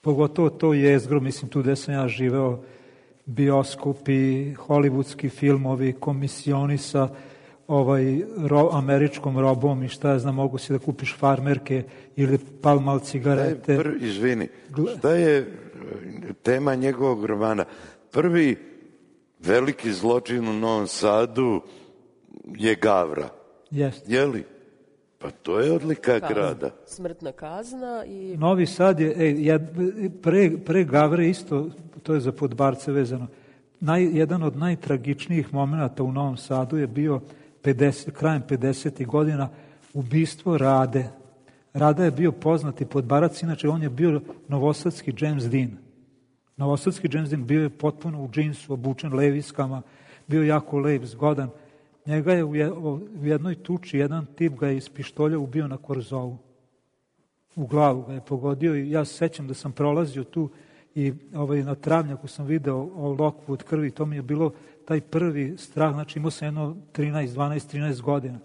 S4: pogotovo to jezgro, mislim, tu gde sam ja živeo, bioskopi, hollywoodski filmovi, komisioni sa američkom robom i šta ja znam, mogu si da kupiš farmerke ili palmal cigarete.
S6: Izvini, šta je tema njegovog romana? Prvi veliki zločin u Novom Sadu je Gavra.
S4: Jeste.
S6: Je li? Pa to je odlika grada.
S3: Smrtna kazna i...
S4: Novi Sad je, pre Gavre isto, to je za Podbarce vezano, jedan od najtragičnijih momenta u Novom Sadu je bio krajem 50. godina ubistvo Rade. Rada je bio poznati Podbarac, inače on je bio novosadski James Dean. Novosadski James Dean bio je potpuno u džinsu, obučen leviskama, bio jako lep, zgodan. Njega je u jednoj tuči jedan tip ga je iz pištolja ubio na Korzovu. U glavu ga je pogodio i ja se sećam da sam prolazio tu i na travnjaku sam video lokvu od krvi. To mi je bilo taj prvi strah, znači imao sam jedno 13 godina.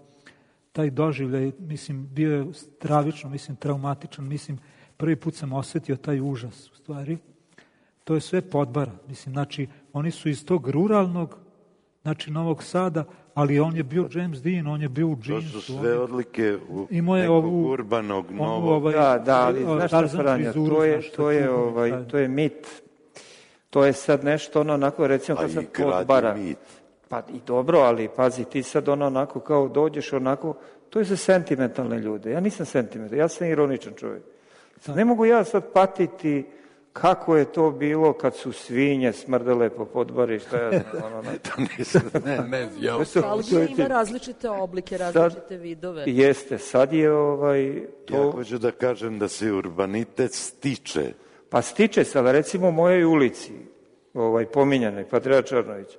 S4: Taj doživljaj, mislim, bio je stravično, mislim, traumatičan, mislim, prvi put sam osetio taj užas, u stvari. To je sve Podbara, mislim, znači, oni su iz tog ruralnog, znači, Novog Sada, ali on je bio James Dean, on je bio u džinsu.
S6: To su sve odlike nekog urbanog novog.
S5: Da, ali znaš šta, Franja, to je mit. To je sad nešto onako, recimo, kad sad Podbara. Pa i dobro, ali pazi, ti sad onako kao dođeš onako, to je za sentimentalne ljude. Ja nisam sentimental, ja sam ironičan čovjek. Ne mogu ja sad patiti kako je to bilo kad su svinje smrdele po Podbari, šta ja znam,
S3: Nostalgija ima različite oblike, različite vidove.
S5: Jeste, sad je
S6: to... Ja hoću da kažem da se urbanitet stiče.
S5: Pa stiče se, ali recimo u mojoj ulici, pominjanoj, Patriarha Čarnovića,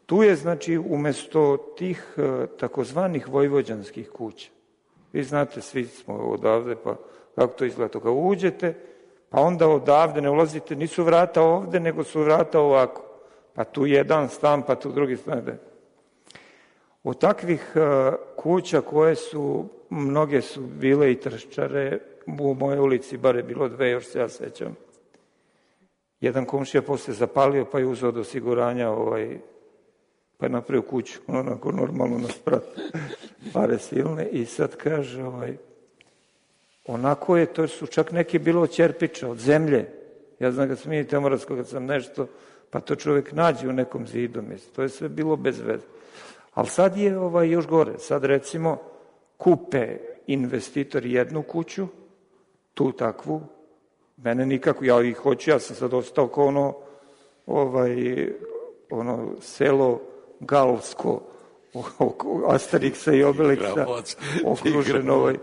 S5: tu je, znači, umesto tih takozvanih vojvođanskih kuća, vi znate, svi smo odavde, pa kako to izgleda, kao uđete, pa onda odavde ne ulazite, nisu vrata ovde, nego su vrata ovako. Pa tu jedan stan, pa tu drugi stan. Od takvih kuća koje su, mnoge su bile i trščare, u mojoj ulici bar je bilo 2, još se ja sećam. Jedan komšija posle zapalio, pa je uzeo od osiguranja, pa je napravio kuću, onako normalno na sprat, pare silne, i sad kaže, onako je, to su čak neki bilo od ćerpiča, od zemlje. Ja znam kad sam i Temoravsko, kad sam nešto, pa to čovjek nađe u nekom zidu, mislim. To je sve bilo bez veze. Ali sad je još gore. Sad recimo kupe investitori jednu kuću, tu takvu, mene nikako, ja ih hoću, ja sam sad ostao kao ono selo Galsko, Asterixa i Obelixa, okruženo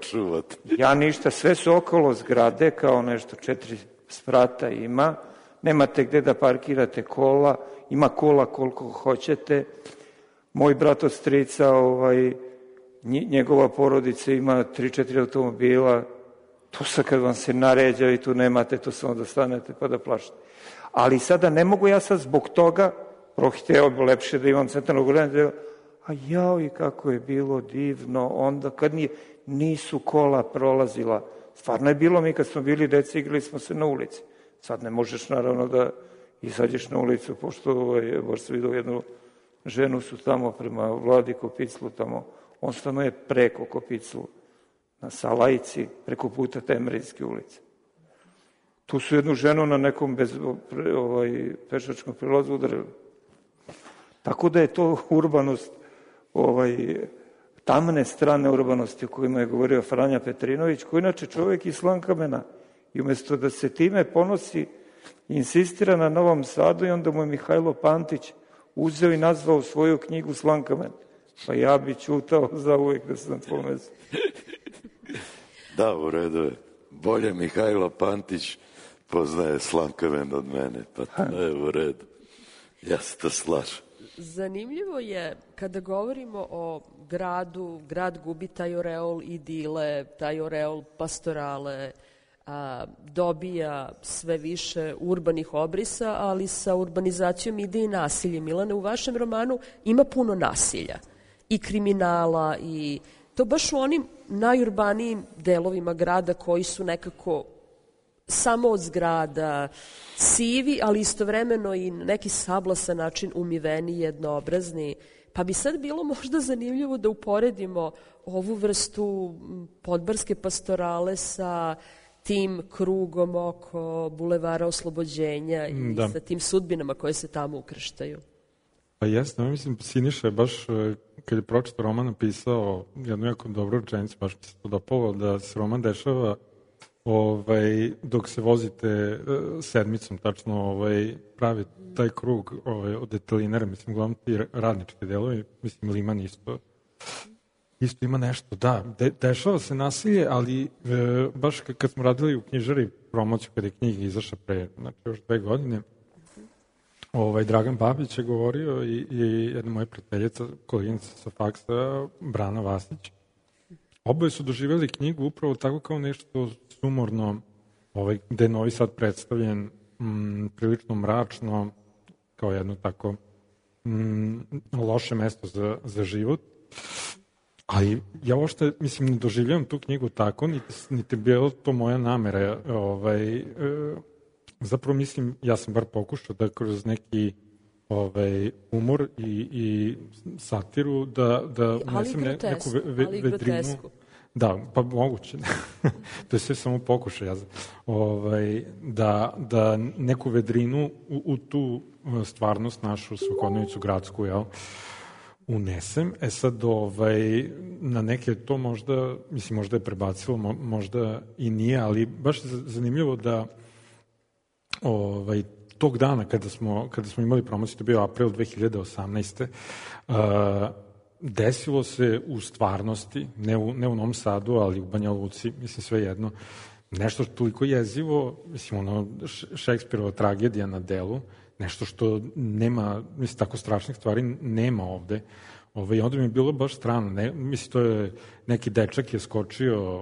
S5: ja ništa, sve su okolo zgrade, kao nešto 4 sprata ima, nemate gde da parkirate kola, ima kola koliko hoćete, moj brat od strica, njegova porodica ima 3-4 automobila, to sad kad vam se naređa i tu nemate, to samo da stanete pa da plašite. Ali sada ne mogu ja sad zbog toga, prohteo bi lepše da imam centralno gledanje, a jao i kako je bilo divno onda kad nisu kola prolazila. Stvarno je bilo, mi kad smo bili deci igrali smo se na ulici. Sad ne možeš naravno da izađeš na ulicu, pošto baš se vidio jednu ženu su tamo prema Vladi Kopiclu tamo. On stanuje preko Kopiclu, na Salajci, preko puta Temerijske ulice. Tu su jednu ženu na nekom pešačkom prilazu udarili. Tako da je to urbanost, tamne strane urbanosti o kojima je govorio Franja Petrinović, koji inače čovjek iz Slankamena. I umjesto da se time ponosi, insistira na Novom Sadu i onda mu je Mihajlo Pantić uzeo i nazvao svoju knjigu Slankamen. Pa ja bi ćutao za uvijek da sam tvoj mesto.
S6: Da, u redu je. Bolje Mihajlo Pantić poznaje Slankamen od mene, pa to je u redu. Ja se to slažem.
S3: Zanimljivo je kada govorimo o gradu, grad gubi taj oreol idile, taj oreol pastorale, dobija sve više urbanih obrisa, ali sa urbanizacijom ide i nasilje. Milane, u vašem romanu ima puno nasilja i kriminala i to baš u onim najurbanijim delovima grada koji su nekako samo od zgrada, sivi, ali istovremeno i neki sablasan način umiveni, jednoobrazni. Pa bi sad bilo možda zanimljivo da uporedimo ovu vrstu podbarske pastorale sa tim krugom oko Bulevara Oslobođenja i sa tim sudbinama koje se tamo ukrštaju.
S8: Pa jesno, mislim, Siniša je baš, kad je pročitao roman, napisao jednu jako dobru rečenicu, baš mi se to dopalo, da se roman dešava dok se vozite sedmicom, tačno pravi taj krug od detalinera, mislim, uglavnom ti radnički delovi, mislim, Liman isto ima nešto, da, dešava se nasilje, ali baš kad smo radili u knjižari promociju, kada je knjiga izašla pre, znači još 2 godine, Dragan Babić je govorio i jedna moja prijateljica, koleginica sa faksa, Brana Vasić. Oboje su doživjeli knjigu upravo tako kao nešto sumorno, gde je Novi Sad predstavljen prilično mračno, kao jedno tako loše mesto za život. Ali ja uopšte, mislim, ne doživljavam tu knjigu tako, niti bilo to moja namera. Zapravo, mislim, ja sam bar pokušao da kroz neki humor i satiru da unesem neku vedrinu. Da, pa moguće. To je sve samo pokušaj. Da neku vedrinu u tu stvarnost našu svakodnevicu gradsku, unesem. Sad, na neke to možda, mislim, možda je prebacilo, možda i nije, ali baš je zanimljivo da tog dana kada smo imali promociju, to je bio april 2018. Desilo se u stvarnosti, ne u Novom Sadu, ali u Banja Luci, mislim, sve jedno, nešto toliko jezivo, mislim, Šekspirova tragedija na delu, nešto što nema, mislim, tako strašnih stvari nema ovde. I onda mi je bilo baš strano. Mislim, to je neki dečak je skočio,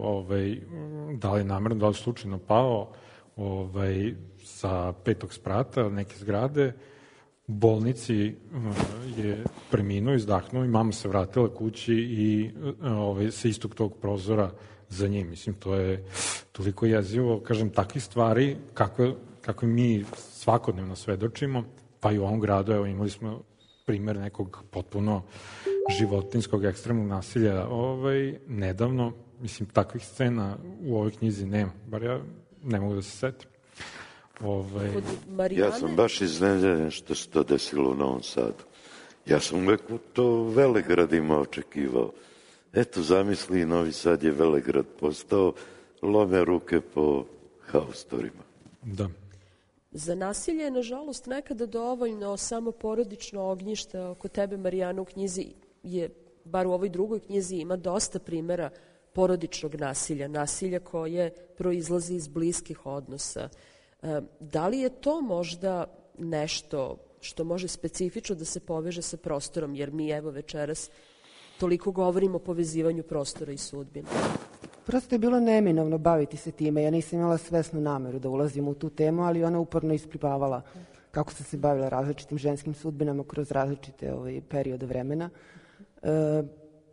S8: da li je namerno, da li slučajno pao, sa 5. sprata neke zgrade, u bolnici je preminuo, izdahnuo i mama se vratila kući i sa istog tog prozora za njim. Mislim, to je toliko jezivo, kažem, takvih stvari kako mi svakodnevno svedočimo, pa i u ovom gradu, evo, imali smo primer nekog potpuno životinskog ekstremnog nasilja nedavno. Mislim, takvih scena u ovoj knjizi nema, bar ja ne mogu da se setim.
S6: Ja sam baš iznenađen što se to desilo u Novom Sadu. Ja sam uvek to velegradima očekivao. Eto, zamisli, Novi Sad je velegrad postao, lome ruke po haustorima.
S8: Da.
S3: Za nasilje je, nažalost, nekada dovoljno samo porodično ognjište. Oko tebe, Marijana, u knjizi je, bar u ovoj drugoj knjizi, ima dosta primera porodičnog nasilja, nasilja koje proizlazi iz bliskih odnosa. Da li je to možda nešto što može specifično da se poveže sa prostorom, jer mi evo večeras toliko govorimo o povezivanju prostora i sudbine?
S7: Prosto je bilo neminovno baviti se time. Ja nisam imala svesnu nameru da ulazim u tu temu, ali ona uporno isplivavala kako sam se bavila različitim ženskim sudbinama kroz različite periode vremena.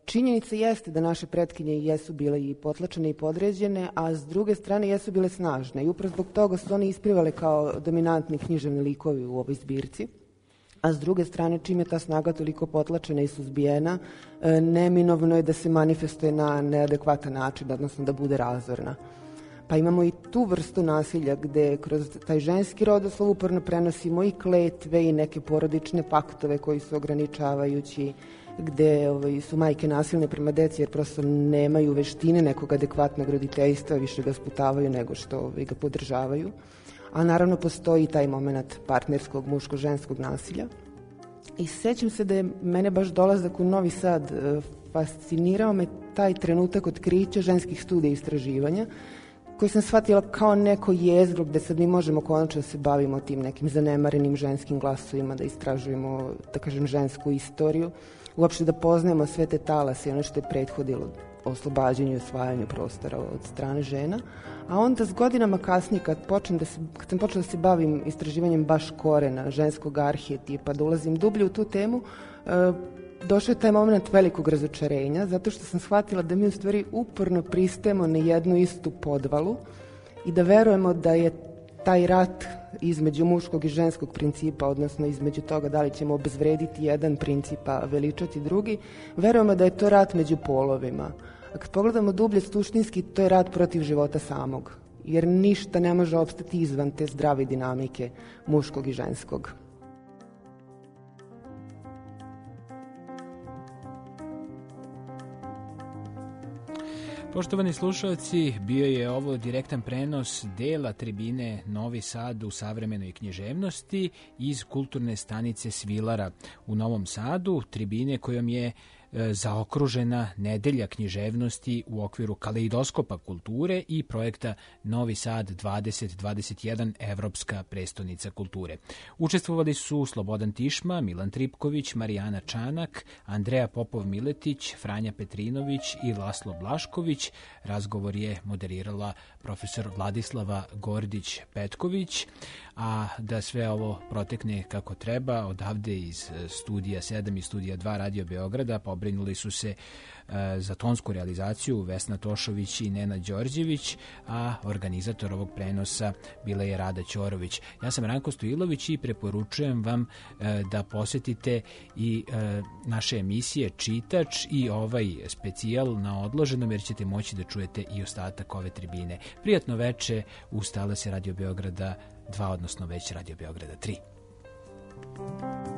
S7: Činjenica jeste da naše pretkinje jesu bile i potlačene i podređene, a s druge strane jesu bile snažne. I upravo zbog toga su one isplivale kao dominantni književni likovi u ovoj zbirci. a s druge strane, čim je ta snaga toliko potlačena i suzbijena, neminovno je da se manifestuje na neadekvatan način, odnosno da bude razorna. Pa imamo i tu vrstu nasilja gde kroz taj ženski rodoslov uporno prenosimo i kletve i neke porodične paktove koji su ograničavajući, gde su majke nasilne prema deci jer prosto nemaju veštine nekog adekvatnog roditeljstva, više ga sputavaju nego što ga podržavaju. A naravno postoji taj moment partnerskog muško-ženskog nasilja. I sećam se da je mene baš dolazak u Novi Sad fascinirao me taj trenutak otkrića ženskih studija i istraživanja, koji sam shvatila kao neko jezgro gde sad mi možemo konačno da se bavimo tim nekim zanemarenim ženskim glasovima, da istražujemo, da kažem, žensku istoriju, uopšte da poznajemo sve te talase i ono što je prethodilo oslobađanju i osvajanju prostora od strane žena. A onda s godinama kasnije, kad sam počela da se bavim istraživanjem baš korena, ženskog arhetipa, da ulazim dublje u tu temu, došao je taj moment velikog razočarenja, zato što sam shvatila da mi u stvari uporno pristajemo na jednu istu podvalu i da verujemo da je taj rat između muškog i ženskog principa, odnosno između toga da li ćemo obezvrediti jedan princip, a veličati drugi, verujemo da je to rat među polovima. A kad pogledamo dublje suštinski, to je rat protiv života samog, jer ništa ne može opstati izvan te zdrave dinamike muškog i ženskog.
S2: Poštovani slušalci, bio je ovo direktan prenos dela tribine Novi Sad u savremenoj književnosti iz kulturne stanice Svilara u Novom Sadu, tribine kojom je zaokružena nedelja književnosti u okviru kaleidoskopa kulture i projekta Novi Sad 2021 Evropska prestonica kulture. Učestvovali su Slobodan Tišma, Milan Tripković, Marijana Čanak, Andreja Popov-Miletić, Franja Petrinović i Laslo Blašković. Razgovor je moderirala profesor Vladislava Gordić-Petković, a da sve ovo protekne kako treba, odavde iz studija 7 i studija 2 Radio Beograda pobrinuli su se za tonsku realizaciju Vesna Tošović i Nena Đorđević, a organizator ovog prenosa bila je Rada Ćorović. Ja sam Ranko Stojilović i preporučujem vam da posetite i naše emisije Čitač i ovaj specijal na odloženom, jer ćete moći da čujete i ostatak ove tribine. Prijatno veče uz talase Radio Beograda 2, odnosno već Radio Beograda 3.